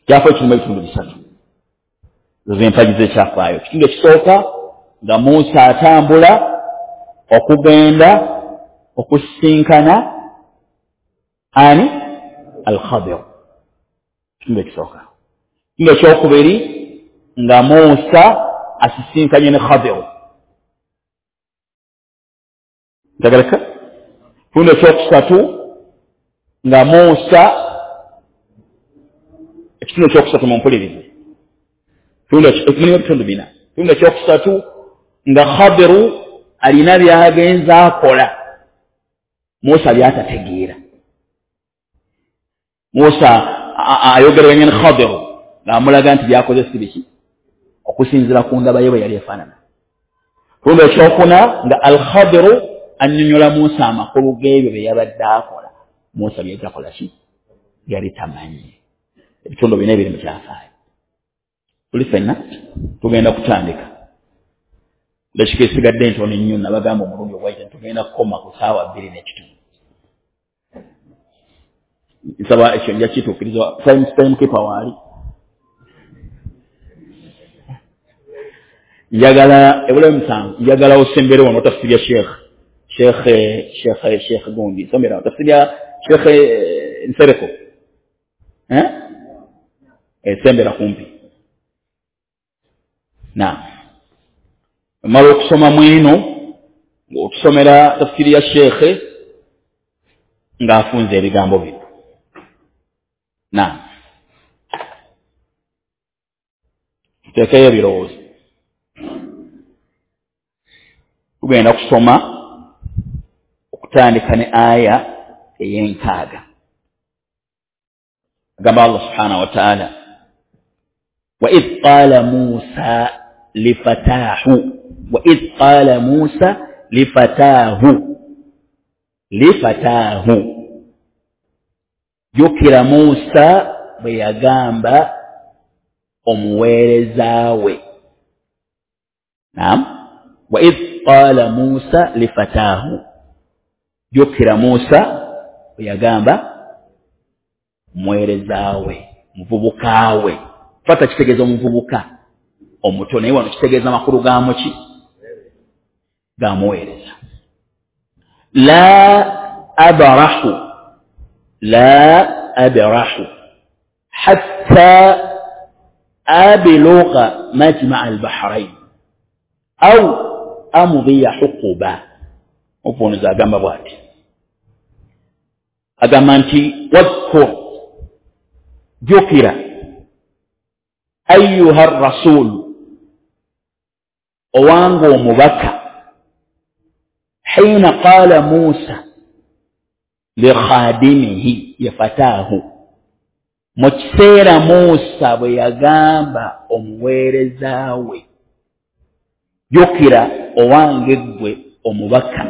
Kyafaayo kirimu ebitundu bisatu, z'empagi z'ekyafaayo. Ekitundu ekisooka nga Musa atambula okugenda okusisinkana ani? Al-Khadir. Ekitundu ekisooka. Ekitundu ekyokubiri nga Musa asisinkanye ne Khadir. Ntegereka? Ekitundu ekyokusatu nga Musa, ekitundu ekyokusatu mumpulirize, mulimu ebitundu bina. Ekitundu ekyokusatu nga Khadiru alina by'agenza akola Musa by'atategeera. Musa ayogeraganya ne Khadiru ng'amulaga nti by'akoze si biki okusinziira ku ndaba ye bwe yali efaanana. Ekitundu ekyokuna nga Al-Khadiru annyonnyola Musa amakulu g'ebyo bye yabadde akola Musa bye takola ki yali tamanyi. Ebitundu bina ebiri mu kyafaayo. Tuli ffenna tugenda kutandika. Dakika esigadde ntono nnyo, nabagamba omulundi ogwayita tugenda kukoma ku ssaawa bbiri n'ekitundu. Nsaba ekyo nja kituukiriza time time keeper waali. Njagala ebulayo musanvu, njagala osembere wano tafsiri ya Sheikh Sheikh Sheikh Sheikh Gundi somera tafsiri ya Sheikh Nsereko eh esembera kumpi. Naam, mala okusoma mwino ng'otusomera tafsiri ya Sheikh ng'afunze ebigambo bino. Naam, tuteekeyo ebirowoozo. Tugenda kusoma okutandika ne aya ey'enkaaga. Agamba Allah subhanahu wa ta'ala, wa idh qala Musa lifatahu, wa idh qala Musa lifatahu, lifatahu. Jjukira Musa bwe yagamba omuweereza we. Naam, wa idh qala Musa lifatahu, jjukira Musa bwe yagamba omuweereza we, muvubuka we. Fata kitegeeza omuvubuka omuto, naye wano kitegeeza amakulu ga muki? Ga muweereza. La abrahu, la abrahu hatta ablugha majma'a al-bahrain au amdhiya huquba. Opunuza agamba bw'ati, agamba nti wadhkur, jjukira, ayyuha rasul, owange omubaka, hiina qaala Musa likhadimihi yafataahu, mu kiseera Musa bwe yagamba omuweereza we. Jjukira owange ggwe omubaka,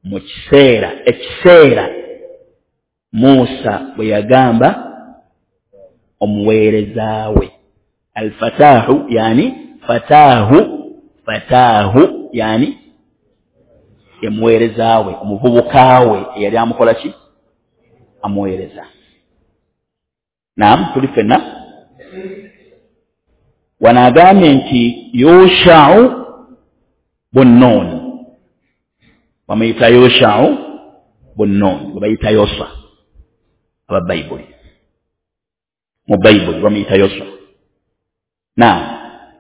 mu kiseera ekiseera Musa bwe yagamba omuweereza we. Alfatahu yani fatahu, fatahu yani emuweereza we, omuvubuka we eyali amukola ki? Amuweereza. Naam, tuli ffenna. Wano agambye nti Yushau bun Nun, bamuyita Yushau Bunun gwe bayita Yoswa aba Bayibuli, mu Bayibuli bamuyita Yoswa. Naam,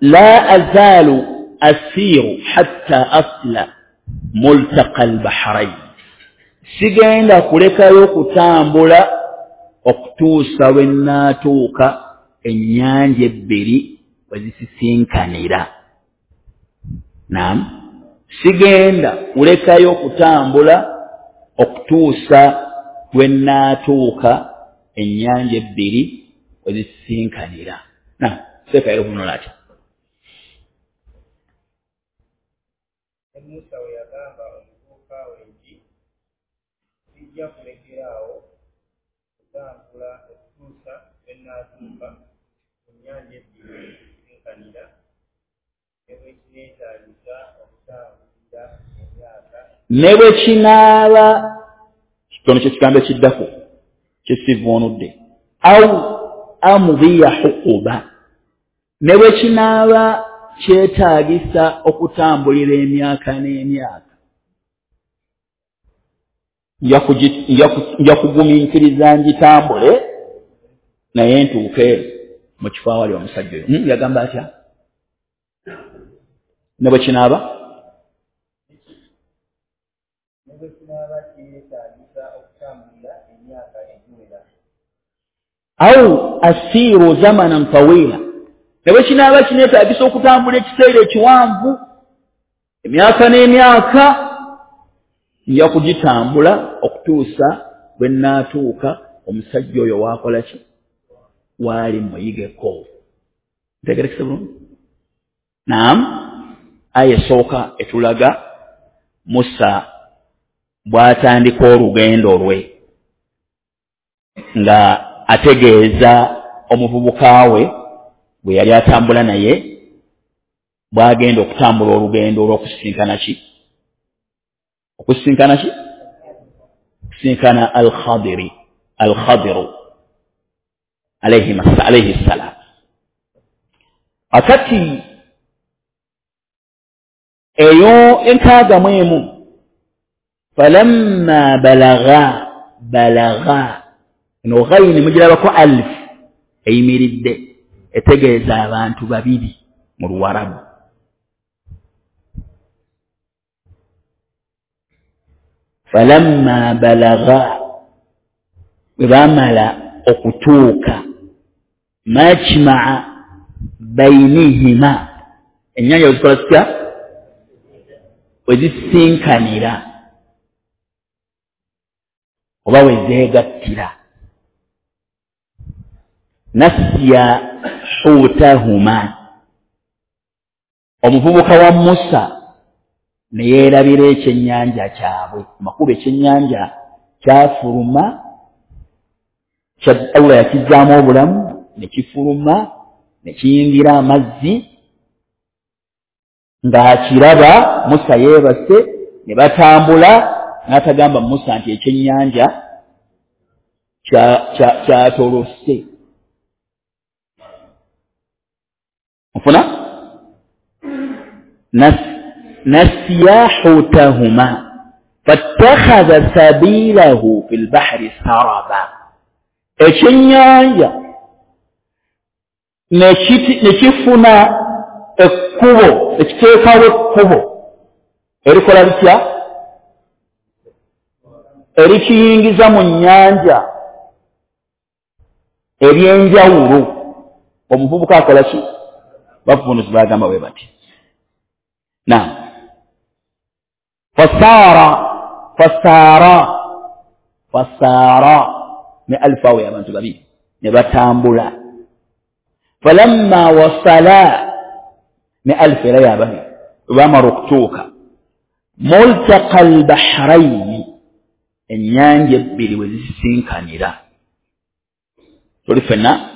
la azalu asiru hatta asla multaqa albahrain, sigenda kulekayo kutambula okutuusa lwe nnaatuuka ennyanja ebbiri we zisisinkanira. Naam, sigenda kulekayo kutambula okutuusa lwe nnaatuuka ennyanja ebbiri we zisisinkanira. Naam, seeka eruvuunula atya? Musa we yagamba omuvubuka we nti sijja kulekeraawo kutambula okutuusa lwe nnaatuuka ku nnyanja ebbiri we zisisinkanira, ne bwe kineetaagisa okutambulira emyaka ne bwe kinaaba kitono kyekigambo ekiddako kyesivuunudde au amudhiya huquba, ne bwe kinaaba kyetaagisa okutambulira emyaka n'emyaka, nja kugumiikiriza ngitambule naye ntuuke mu kifo awali omusajja oyo. Hmm, yagamba atya? Ne bwe kinaaba ne bwe kinaaba kyetaagisa okutambulira emyaka egiwera, au asiru zamanan tawila, ne bwe kinaaba kineetaagisa okutambula ekiseera ekiwanvu emyaka n'emyaka, nja kugitambula okutuusa bwe nnaatuuka omusajja oyo waakola ki, waali muyigeko. Ntegerekese bulungi? Naam, aya esooka etulaga Musa bw'atandika olugendo lwe nga ategeeza omuvubuka we bwe yali atambula naye bw'agenda okutambula olugendo olw'okusisinkana ki, okusisinkana ki, okusisinkana Al-Khadiri, Al-Khadiru alayhi ssalam. Akati eyo enkaaga mu emu, falamma balagha balagha, eno ghayini mugirabako alif eyimiridde etegeeza abantu babiri mu Luwarabu. Falamma balagha, bwe baamala okutuuka majmaa bainihima, ennyanja we zikola zitya, we zisisinkanira oba we zeegattira, nasiya hutahuma, omuvubuka wa Musa ne yeerabira ekyennyanja kyabwe. Amakulu ekyennyanja kyafuluma, Allah yakizzaamu obulamu ne kifuluma ne kiyingira amazzi ng'akiraba Musa yeebase, ne batambula, n'atagamba Musa nti ekyennyanja kyatolose. Nfuna? Nasiya hutahuma fattakhadha sabilahu fil bahri saraba, ekyennyanja ne kifuna ekkubo, ekiteekawo ekkubo erikola litya, erikiyingiza mu nnyanja ery'enjawulo. Omuvubuka akola ki? Bavunuzi bagamba bwe bati. Naam, fasaara fasaara fasaara ne alifu awo abantu babiri ne batambula. Falamma wasala ne alifu era y'ababiri bwe baamala okutuuka multaqa albahraini, ennyanja ebbiri we zisisinkanira. Tuli ffenna?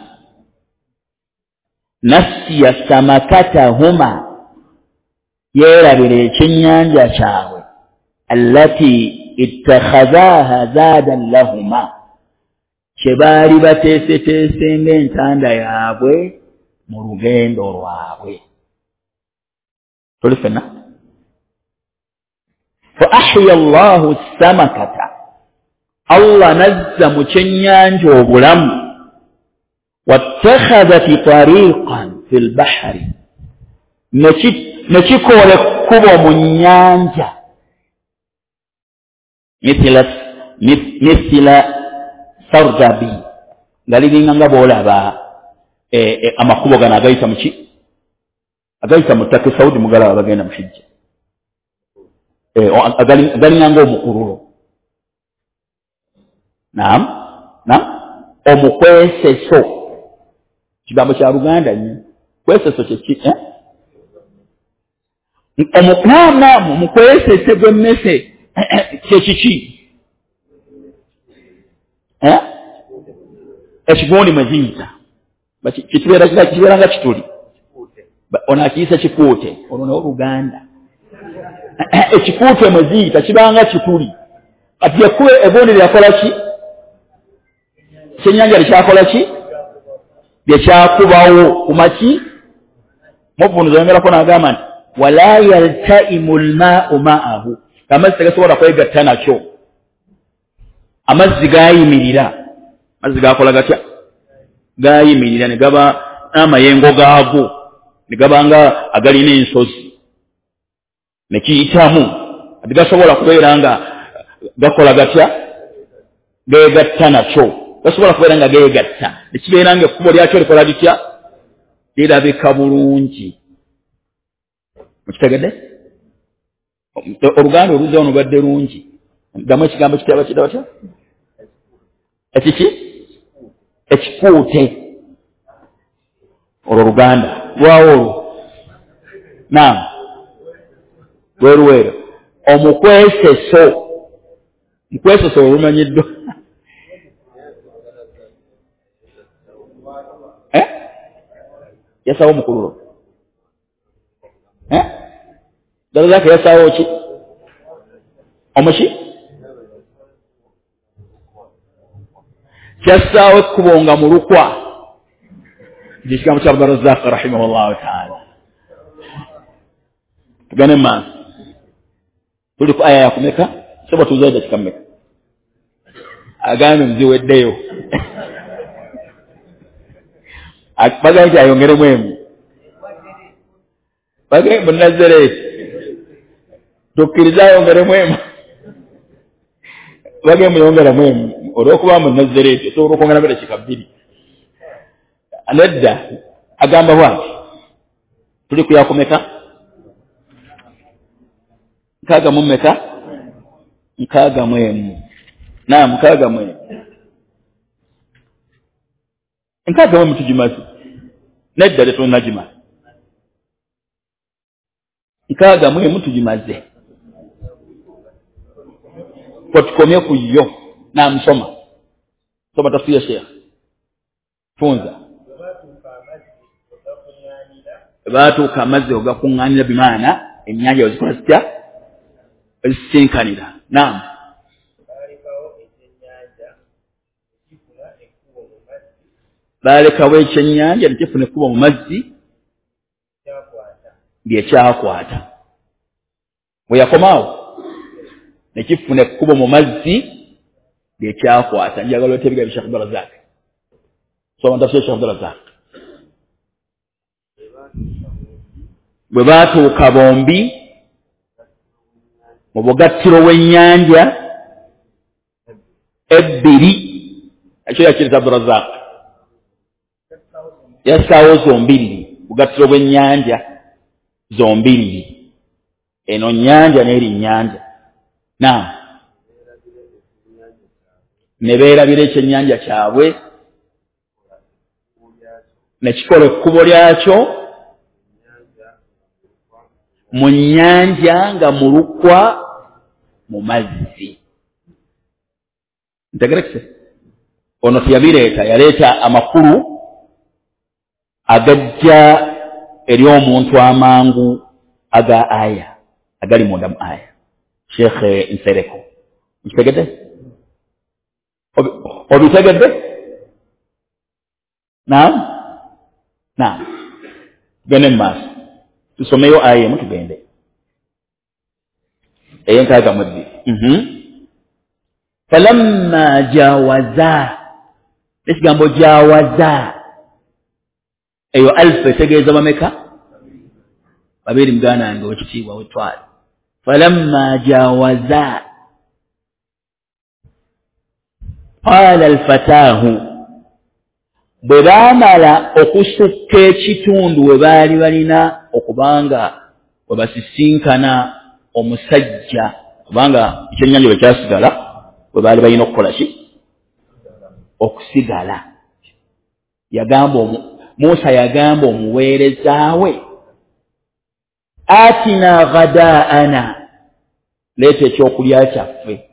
Nasiya samakatahuma, yeerabira ekyennyanja kyabwe, allati ittakhadhaha zaadan lahuma, kye baali bateeseteese ng'entanda yaabwe mu lugendo lwabwe. Tuli ffenna? Fa ahya Allahu samakata, Allah nazza mu kyennyanja obulamu wattakhadhat tariqan fil bahri ne kikola ekkubo mu nnyanja mithla mithla sardabi nga liringa nga bw'olaba amakubo gano agayita mu ki agayita mu ttaka e Saudi mugalaba bagenda mu Hijja agalinga ng'omukululo naam naam omukweseso kigambo kya Luganda nnyo kweseso kye ki eh naam naam omukwesese gw'emmese kye kiki eh ekigundi mwe ziyita kibeera kibeera nga kituli ono akiyisa kikuute olwo nawo Luganda ekikuute mwe ziyita kibanga kituli kati ekkubo egundi lyakola ki kyennyanja likyakola ki lyekyakubawo kumaki muvunuzi ayongerako n'agamba nti wala yaltaimu lmaau ma'ahu amazzi tegasobola kwegatta nakyo amazzi gayimirira amazzi gakola gatya gayimirira ne gaba n'amayengo gaago ne gaba nga agalina ensozi ne kiyitamu tegasobola kubeera nga gakola gatya geegatta nakyo gasobola kubeera nga geegatta ne kibeera nga ekkubo lyakyo likola litya lirabika bulungi mukitegedde oluganda oluzza wano lubadde lungi ddamu ekigambo kitaba kidda batya ekiki ekikuute olwo luganda lwawo olwo naam lweruweero omukweseso mukweseso olumanyiddwa eh yasawo omukululo eh Darazaka yasawo ki omuki kyassaawo ekkubo nga mulukwa ekigambo kya Abdurazaq rahimahullahu taala tugende maaso tuli ku aya yakumeka soba tuzayo dakika mmeka agambe muziweddeyo bagambye nti ayongeremu emu bagambye Munazareti tukkirize ayongeremu emu bagambye muyongeremu emu olw'okuba Munazareti osobola okwongeramu dakika bbiri nedda agamba bwati tuli ku yakumeka nkaaga mu mmeka nkaaga mu emu naam nkaaga mu emu nkaaga mu emu tugimaze nedda tetunnagimala nkaaga mu emu tugimaze kwetukomye ku yo naam soma soma tafsiri ya Sheikh funza baatuuka amazzi ogakuŋŋaanira bimaana ennyanja wezikola zitya ezisinkanira naam baalekawo ekyennyanja nekifuna ekkubo mu mazzi lyekyakwata bwe yakomaawo nekifuna ekkubo mu mazzi lyekyakwata njagala oleete ebigambo bya Sheikh Abdurazak soma tafsiri ya Sheikh Abdurazak bwe baatuuka bombi mu bugattiro bw'ennyanja ebbiri ekyo yakiriza Abdurazak yassaawo zombiriri bugattiro bw'ennyanja zombiriri eno nnyanja n'eri nnyanja naam ne beerabira ekyennyanja kyabwe ne kikola ekkubo lyakyo mu nnyanja nga mulukwa mu mazzi ntegerekese ono teyabireeta yaleeta amakulu agajja eri omuntu amangu aga aya agali munda mu aya Sheikh Nsereko nkitegedde obitegedde naam naam tugende mu maaso tusomeyo aya emu tugende ey'enkaaga mu ebbiri Falamma jawaza, ekigambo jawaza eyo alfa etegeeza bameka? Babiri. Muganda wange wekitiibwa wetwale. Falamma jawaza qala alfataahu, bwe baamala okusukka ekitundu we baali balina okubanga we basisinkana omusajja, kubanga ekyennyanja bwe kyasigala we baali balina okukola ki? Okusigala. Yagamba Musa, yagamba omuweereza we, atina ghadaana, leeta ekyokulya kyaffe.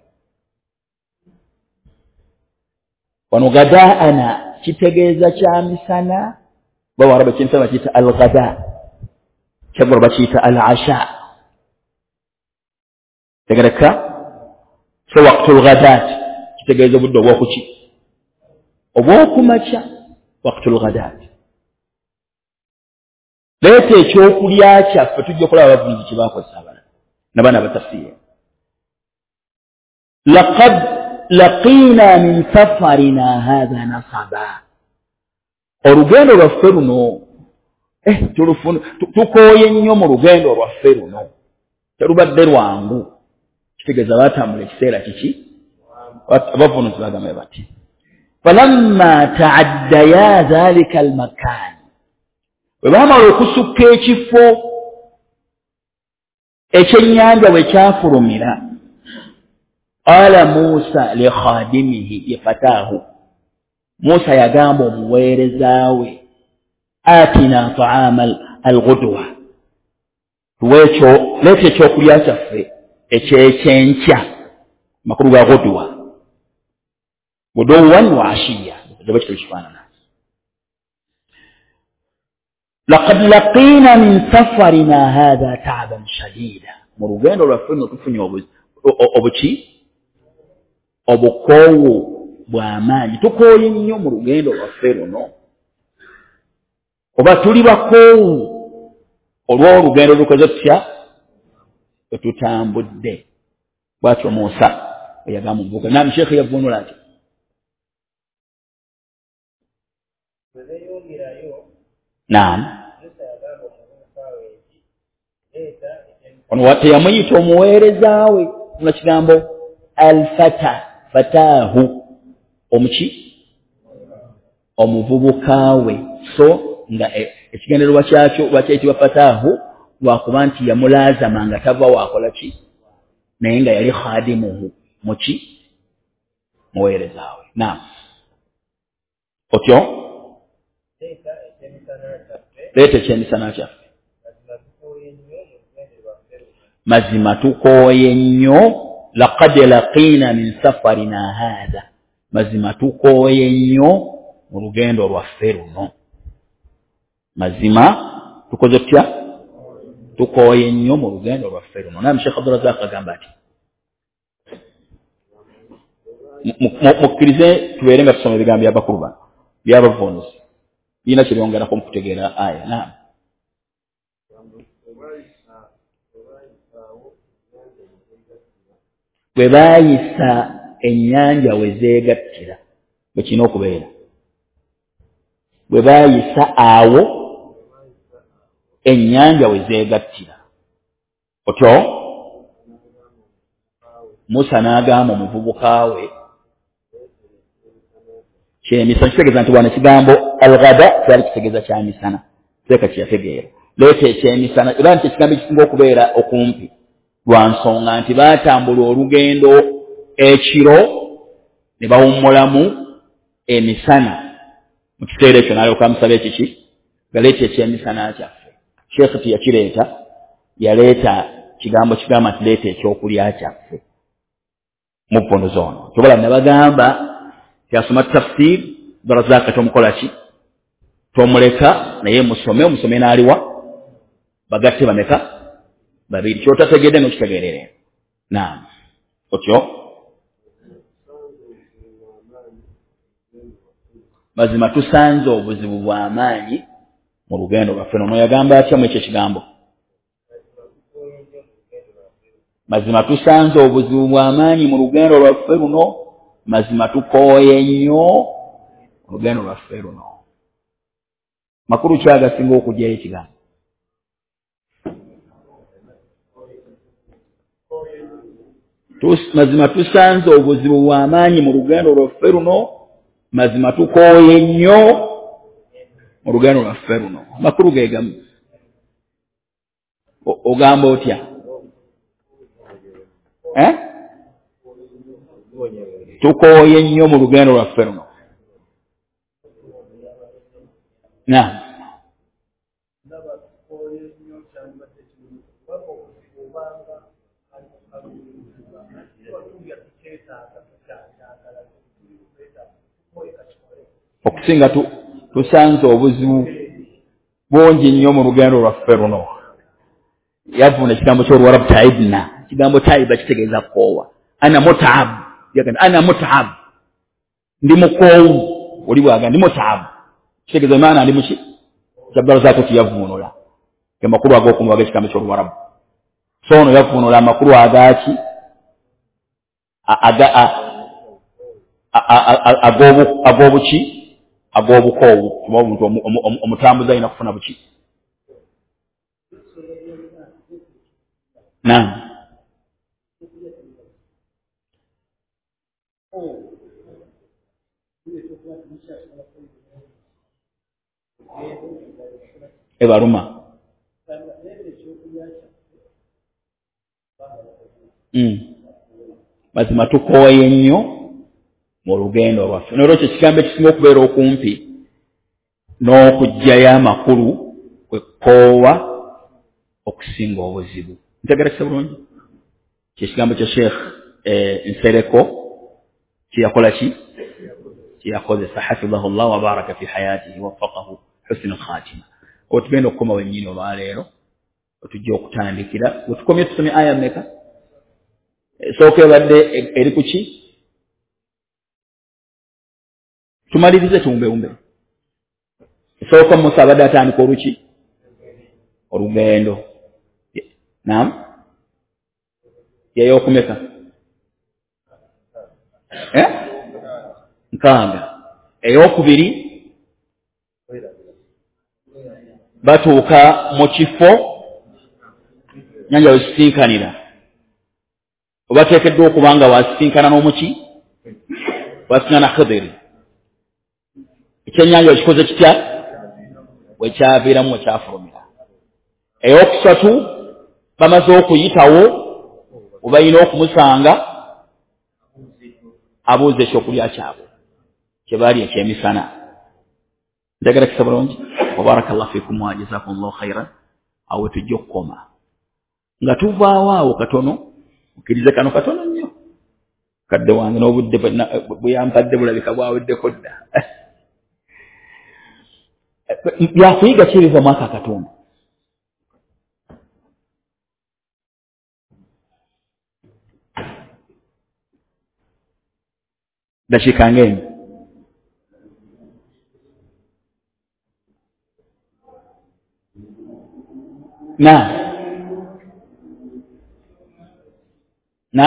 Wano ghadaana kitegeeza kyamisana, bawarabu ekyamisana bakiyita al-ghada, kyaggulo bakiyita al-asha. Tegereka? So waqtul ghadat kitegeeza obudde obwokuki? Obwokumakya, waqtul ghadat. Leeta ekyokulya kyaffe. Tujja okulaba abavunuzi kye bakozesa abalala nabaana abatafsiira. Laqad laqiina min safarina hatha nasaba, olugendo lwaffe luno eh, tukooye nnyo mu lugendo lwaffe luno, terubadde lwangu. Kitegeeza baatambula ekiseera kiki? Abavunuzi bagamba bati falamma ta'addaya dhalika almakan, bwe baamala okusukka ekifo ekyennyanja bwe kyafulumira, qala Musa li khadimihi ye fataahu, Musa yagamba omuweereza we, atina ta'ama al-ghudwa, tuweekyo, leeta ekyokulya kyaffe ekyekyenkya. Makulu ga ghudwa, ghuduwan wa ashiya, eba kityo kifaanana. Laqad laqiina min safarina hatha ta'ban shadida, mu lugendo lwaffe nno tufunye obuki? Obukoowu bw'amaanyi, tukooye nnyo mu lugendo lwaffe luno, oba tuli bakoowu olw'olugendo lukoze tutya etutambudde. Bwatyo Musa eyagamba omuvubuka. Naam, Sheikh yavvuunula ati naam, ono teyamuyita omuweereza we, muna kigambo alfata, fataahu, omuki? Omuvubuka we. So nga ekigendererwa kyakyo lwakyayitibwa fataahu lwakuba nti yamulaazama nga tava waakola ki, naye nga yali khadimuhu, muki? Muweereza we. Naam, otyo leeta ekyemisana kyaffe. Mazima tukooye nnyo. Laqad laqiina min safarina hatha, mazima tukooye nnyo mu lugendo lwaffe luno. Mazima tukoze tutya? Tukooye nnyo mu lugendo lwaffe luno. Naam, Sheikh Abdurazak agamba ati mukkirize tubeere nga tusoma ebigambo by'abakulu bano by'abavunuzi, birina kye byongerako mu kutegeera aya. Naam, bwe baayisa ennyanja we zeegattira, bwe kirina okubeera, bwe baayisa awo ennyanja we zeegattira. Otyo Musa n'agamba omuvubuka we kyemisana, kitegeeza nti wano ekigambo al-ghada kyali kitegeeza kyamisana, teeka kyeyategeera. Leeta ekyemisana, era nti ekigambo ekisinga okubeera okumpi lwa nsonga nti baatambula olugendo ekiro ne bawummulamu emisana. Mu kiseera ekyo n'alyoka amusaba ekiki? Galeeta ekyemisana kyaffe. Sheikh teyakireeta, yaleeta kigambo kigamba nti leeta ekyokulya kyaffe mu vvuunuzi ono. Kyobola nabagamba tyasoma tafsir Abdurazaka tomukola ki? Tomuleka, naye musome, omusome n'aliwa bagatte bameka? Babiri. Kyotategedde n'okitegeerere. Naam, otyo mazima tusanze obuzibu bw'amaanyi mu lugendo lwaffe. Ono yagamba atya mu ekyo ekigambo? Mazima tusanze obuzibu bw'amaanyi mu lugendo lwaffe luno. Mazima tukooye nnyo olugendo lwaffe luno. Makulu ki agasinga okugyayo ekigambo? Mazima tusanze obuzibu bw'amaanyi mu lugendo lwaffe luno, mazima tukooye nnyo mu lugendo lwaffe luno. Makulu ge gamu. Ogamba otya? Eh? Tukooye nnyo mu lugendo lwaffe luno. Na okusinga tusanze obuzibu bungi nnyo mu lugendo lwaffe luno. Yavuna ekigambo ky'Oluwarabu taibna. Ekigambo taiba kitegeeza kukoowa. Ana mutaab, yagamba ana mutaab, ndi mukoowu. Oli bw'agamba ndi mutaab kitegeeza maana ndi muki. Kyabdalzaako kiyavuunula ge makulu ag'okumva ag'ekigambo ky'Oluwarabu. So ono yavuunula amakulu agaaki ag'obuki ag'obukoowu, kuba omuntu omutambuzi alina kufuna buki. Naam. Ebaruma. Mm. Mazima tukooye nnyo mu lugendo lwaffe. N'olwekyo ekigambo ekisinga okubeera okumpi n'okuggyayo amakulu kwe kkoowa okusinga obuzibu. Ntegeerekese bulungi? Kye kigambo kya Sheikh Nsereko kye yakola ki? Kye yakozesa hafidhahullah wa baraka fi hayatihi waffaqahu husna al-khatima. Otugenda okukoma wennyini olwaleero, otujja okutandikira. Wetukomye tusomye aya mmeka? Esooka ebadde eri ku ki? Tumalirize tuwumbewumbe. Esooka Musa abadde atandika oluki? Olugendo. Naam? Yeyokumeka? Eh? Nkaaga. Eyokubiri batuuka mu kifo nyanja wesisinkanira. Obateekeddwa okuba nga wasisinkana n'omuki? Wasisinkana Khidiri. Ekyennyanja okikoze kitya? Wekyaviiramu wekyafulumira. Eyokusatu bamaze okuyitawo obalina okumusanga abuuza ekyokulya kyabwe kye baali ekyemisana. Njagala kisa bulungi. Wabarakallahu fikum wa jazakumullahu khairan. Awo tujja okukoma nga tuvaawo awo katono. Okkirize kano katono nnyo, kadde wange n'obudde bwe yampadde bulabika bwaweddeko dda. Byakuyiga ki ebiva mu aka akatundu? Dakiika ng'emu. Na na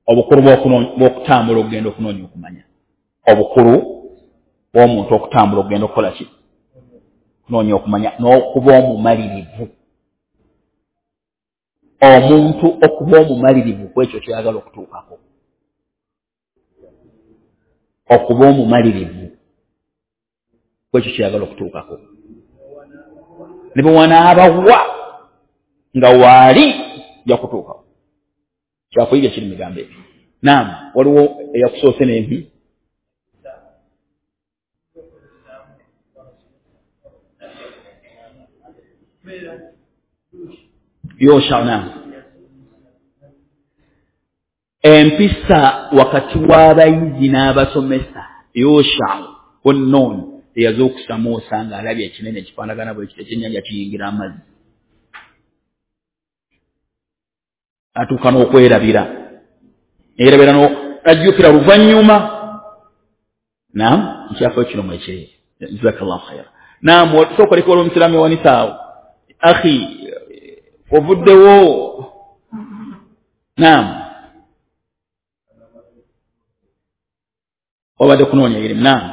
obukulu bw'okutambula okugenda okunoonya okumanya. Obukulu bw'omuntu okutambula okugenda okukola ki? Kunoonya okumanya n'okuba omumalirivu. Omuntu okuba omumalirivu ku ekyo ky'oyagala okutuukako. Okuba omumalirivu ku ekyo ky'oyagala okutuukako. Ne bwe wanaabawa nga waali ojja kutuukawo. Kyakuyiga kiri mu bigambo ebyo. Naam, waliwo eyakusoose n'empi. Yosha, naam. Empisa wakati w'abayizi n'abasomesa. Yosha onnoon eyazuukusa Musa ng'alabye ekinene ekifaanagana bwe kityo ekyennyanja kiyingira amazzi. Atuuka n'okwerabira. Yerabira n'ajjukira luvannyuma. Naam, nkyafaayo kino mwekiri. Jazakallahu khaira. Naam, sooka oleka olw'omusiraamu ewanisa awo. Akhi, ovuddewo. Naam. Wabadde kunoonya irimu. Naam,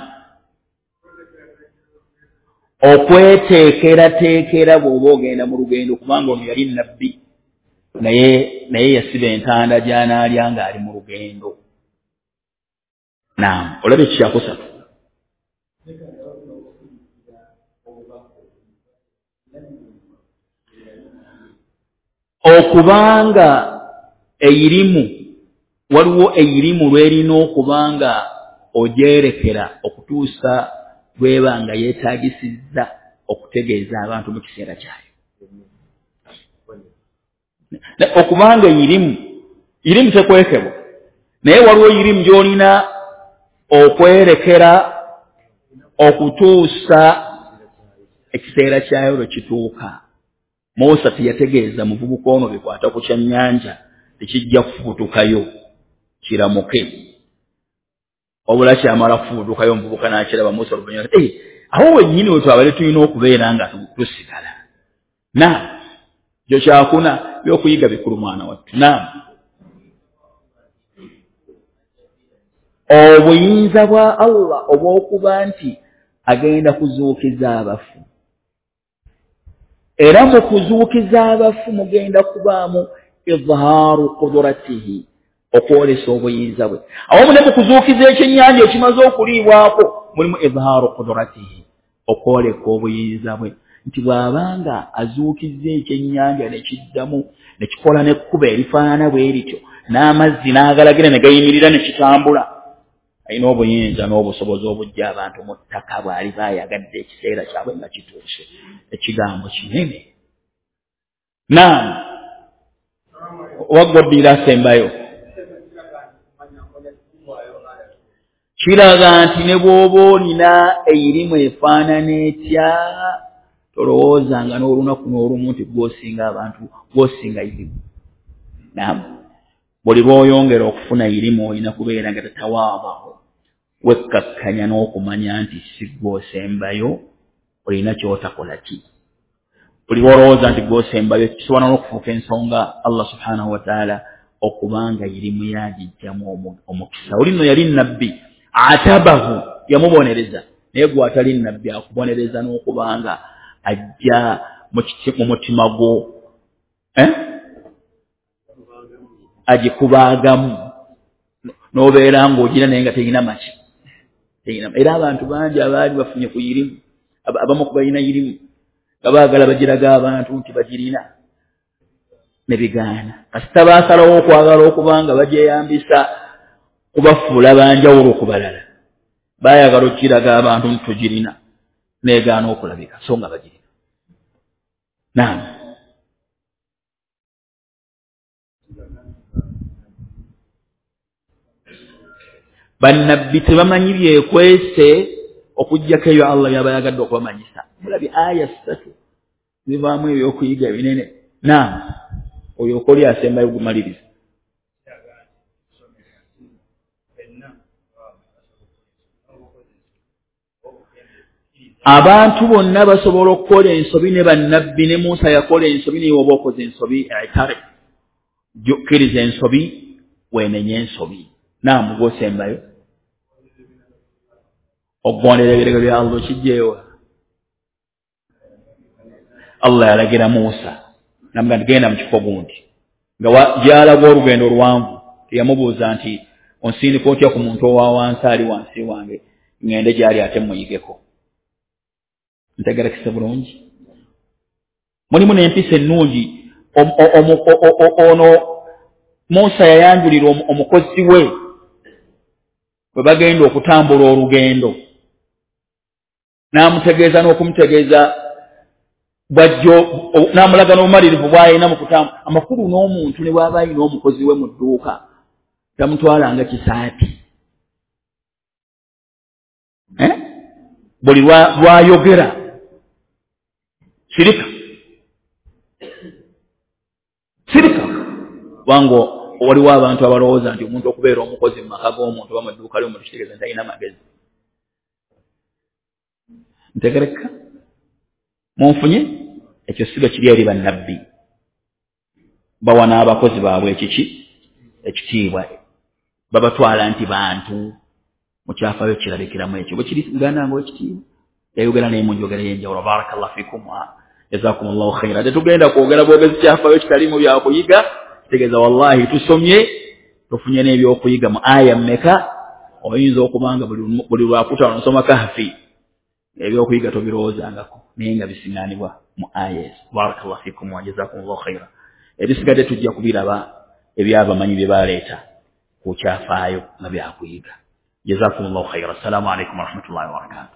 okweteekerateekera bw'oba ogenda mu lugendo, kubanga ono yali nabbi naye naye yasiba entanda gy'anaalya ng'ali mu lugendo. Naam, olaba ekikyakusatu okubanga eyirimu, waliwo eyirimu lwerina okubanga ogyerekera okutuusa lwebanga yeetagisizza okutegeeza abantu mu kiseera kyayo. Okubanga eyirimu, irimu tekwekebwa, naye waliwo eyirimu gy'olina okwerekera okutuusa ekiseera kyayo lwe kituuka. Musa teyategeeza muvubuka ono bikwata ku kyannyanja tekijja kufubutukayo kiramuke, wabula kyamala kufubutukayo omuvubuka n'akiraba. Musa oluvannyuma eh, awo wennyini we twabadde tulina okubeera nga tusigala. Naam, kyo kyakuna byokuyiga bikulu mwana wattu. Naam, obuyinza bwa Allah obw'okuba nti agenda kuzuukiza abafu, era mu kuzuukiza abafu mugenda kubaamu izhaaru qudratihi, okwolesa obuyinza bwe. Awamu ne mu kuzuukiza ekyennyanja ekimaze okuliibwako mulimu izhaaru qudratihi, okwoleka obuyinza bwe, nti bw'abanga azuukizza ekyennyanja ne kiddamu ne kikola n'ekkubo erifaanana bwe lityo n'amazzi n'agalagira ne gayimirira ne kitambula, alina obuyinza n'obusobozi obujja abantu mu ttaka bw'aliba ayagadde ekiseera kyabwe nga kituuse. Ekigambo kinene. Naam, waggoddira asembayo kiraga nti ne bw'oba olina eyirimu efaanana etya, tolowoozanga n'olunaku n'olumu nti gw'osinga abantu, gw'osinga irimu. Naam, buli lw'oyongera okufuna irimu olina kubeera nga tatawaadahu, wekkakkanya n'okumanya nti si gw'osembayo, olina ky'otakola ki. Buli lw'olowooza nti gw'osembayo kisobola n'okufuuka ensonga Allah subhanahu wa taala okubanga irimu yagijjamu omukisa. Oli nno yali nabbi, atabahu, yamubonereza, naye gwe atali nabbi akubonereza n'okubanga ajja mu mutima gwo eh? agikubaagamu n'obeera ng'ogira naye nga terina maki, terina. Era abantu bangi abaali bafunye ku irimu, abamu ku balina irimu nga baagala bagiraga abantu nti bagirina ne bigaana. Kasita baasalawo okwagala okuba nga bagyeyambisa kubafuula banjawulo ku balala, baayagala okukiraga abantu nti tugirina, negaana okulabika so nga bagirina. Naam, bannabbi tebamanyi byekwese okuggyako ebyo Allah by'aba ayagadde okubamanyisa. Mulabye aya ssatu zivaamu ebyokuyiga binene. Naam, oyo okoli asembayo gumaliriza. Abantu bonna basobola okukola ensobi, ne bannabbi ne Musa yakola ensobi, naye oba okoze ensobi itare, kkiriza ensobi, weenenye ensobi. Naam, gw'osembayo okugondera ebiragiro bya Allah okijjeewa. Allah yalagira Musa namugamba nti genda mu kifo gundi, nga gy'alaga olugendo oluwanvu, teyamubuuza nti onsindika otya ku muntu owa wansi ali wansi wange ŋŋende gy'ali ate muyigeko. Ntegerekese bulungi. Mulimu n'empisa ennungi. Ono Musa yayanjulira omukozi we bwe bagenda okutambula olugendo, n'amutegeeza n'okumutegeeza bw'ajja, n'amulaga n'obumalirivu bw'alina mu kutambula. Amakulu n'omuntu ne bw'aba alina omukozi we mu dduuka tamutwalanga kisaati, eh? Buli lwayogera sirika sirika, kubanga waliwo abantu abalowooza nti omuntu okubeera omukozi mu maka g'omuntu oba mu dduuka ly'omuntu kitegeeza nti alina amagezi. Ntegereka munfunye? Ekyo si bwe kiri eri bannabbi, bawa n'abakozi baabwe ekiki ekitiibwa, babatwala nti bantu Mu kyafaayo kirabikiramu ekyo. Bwe kiri muganda wange ow'ekitiibwa, yayogera naye mu njogera ey'enjawulo. Barakallahu fikum, jazakumullahu khaira. Tetugenda kwogera bwogezi kyafaayo kitaliimu byakuyiga, kitegeeza wallahi tusomye, tufunye n'ebyokuyiga mu aya mmeka. Oyinza okuba nga buli lwakutaano nosoma Kahfi, ebyokuyiga tobirowoozangako, naye nga bisiŋŋaanibwa mu aya ezo. Barakallahu fikum wa jazakumullahu khaira. Ebisigadde tujja kubiraba ebyabamanyi bye baleeta ku kyafaayo nga byakuyiga. Jazakumullahu khaira. Assalamu alaikum warahmatullahi wabarakatuh.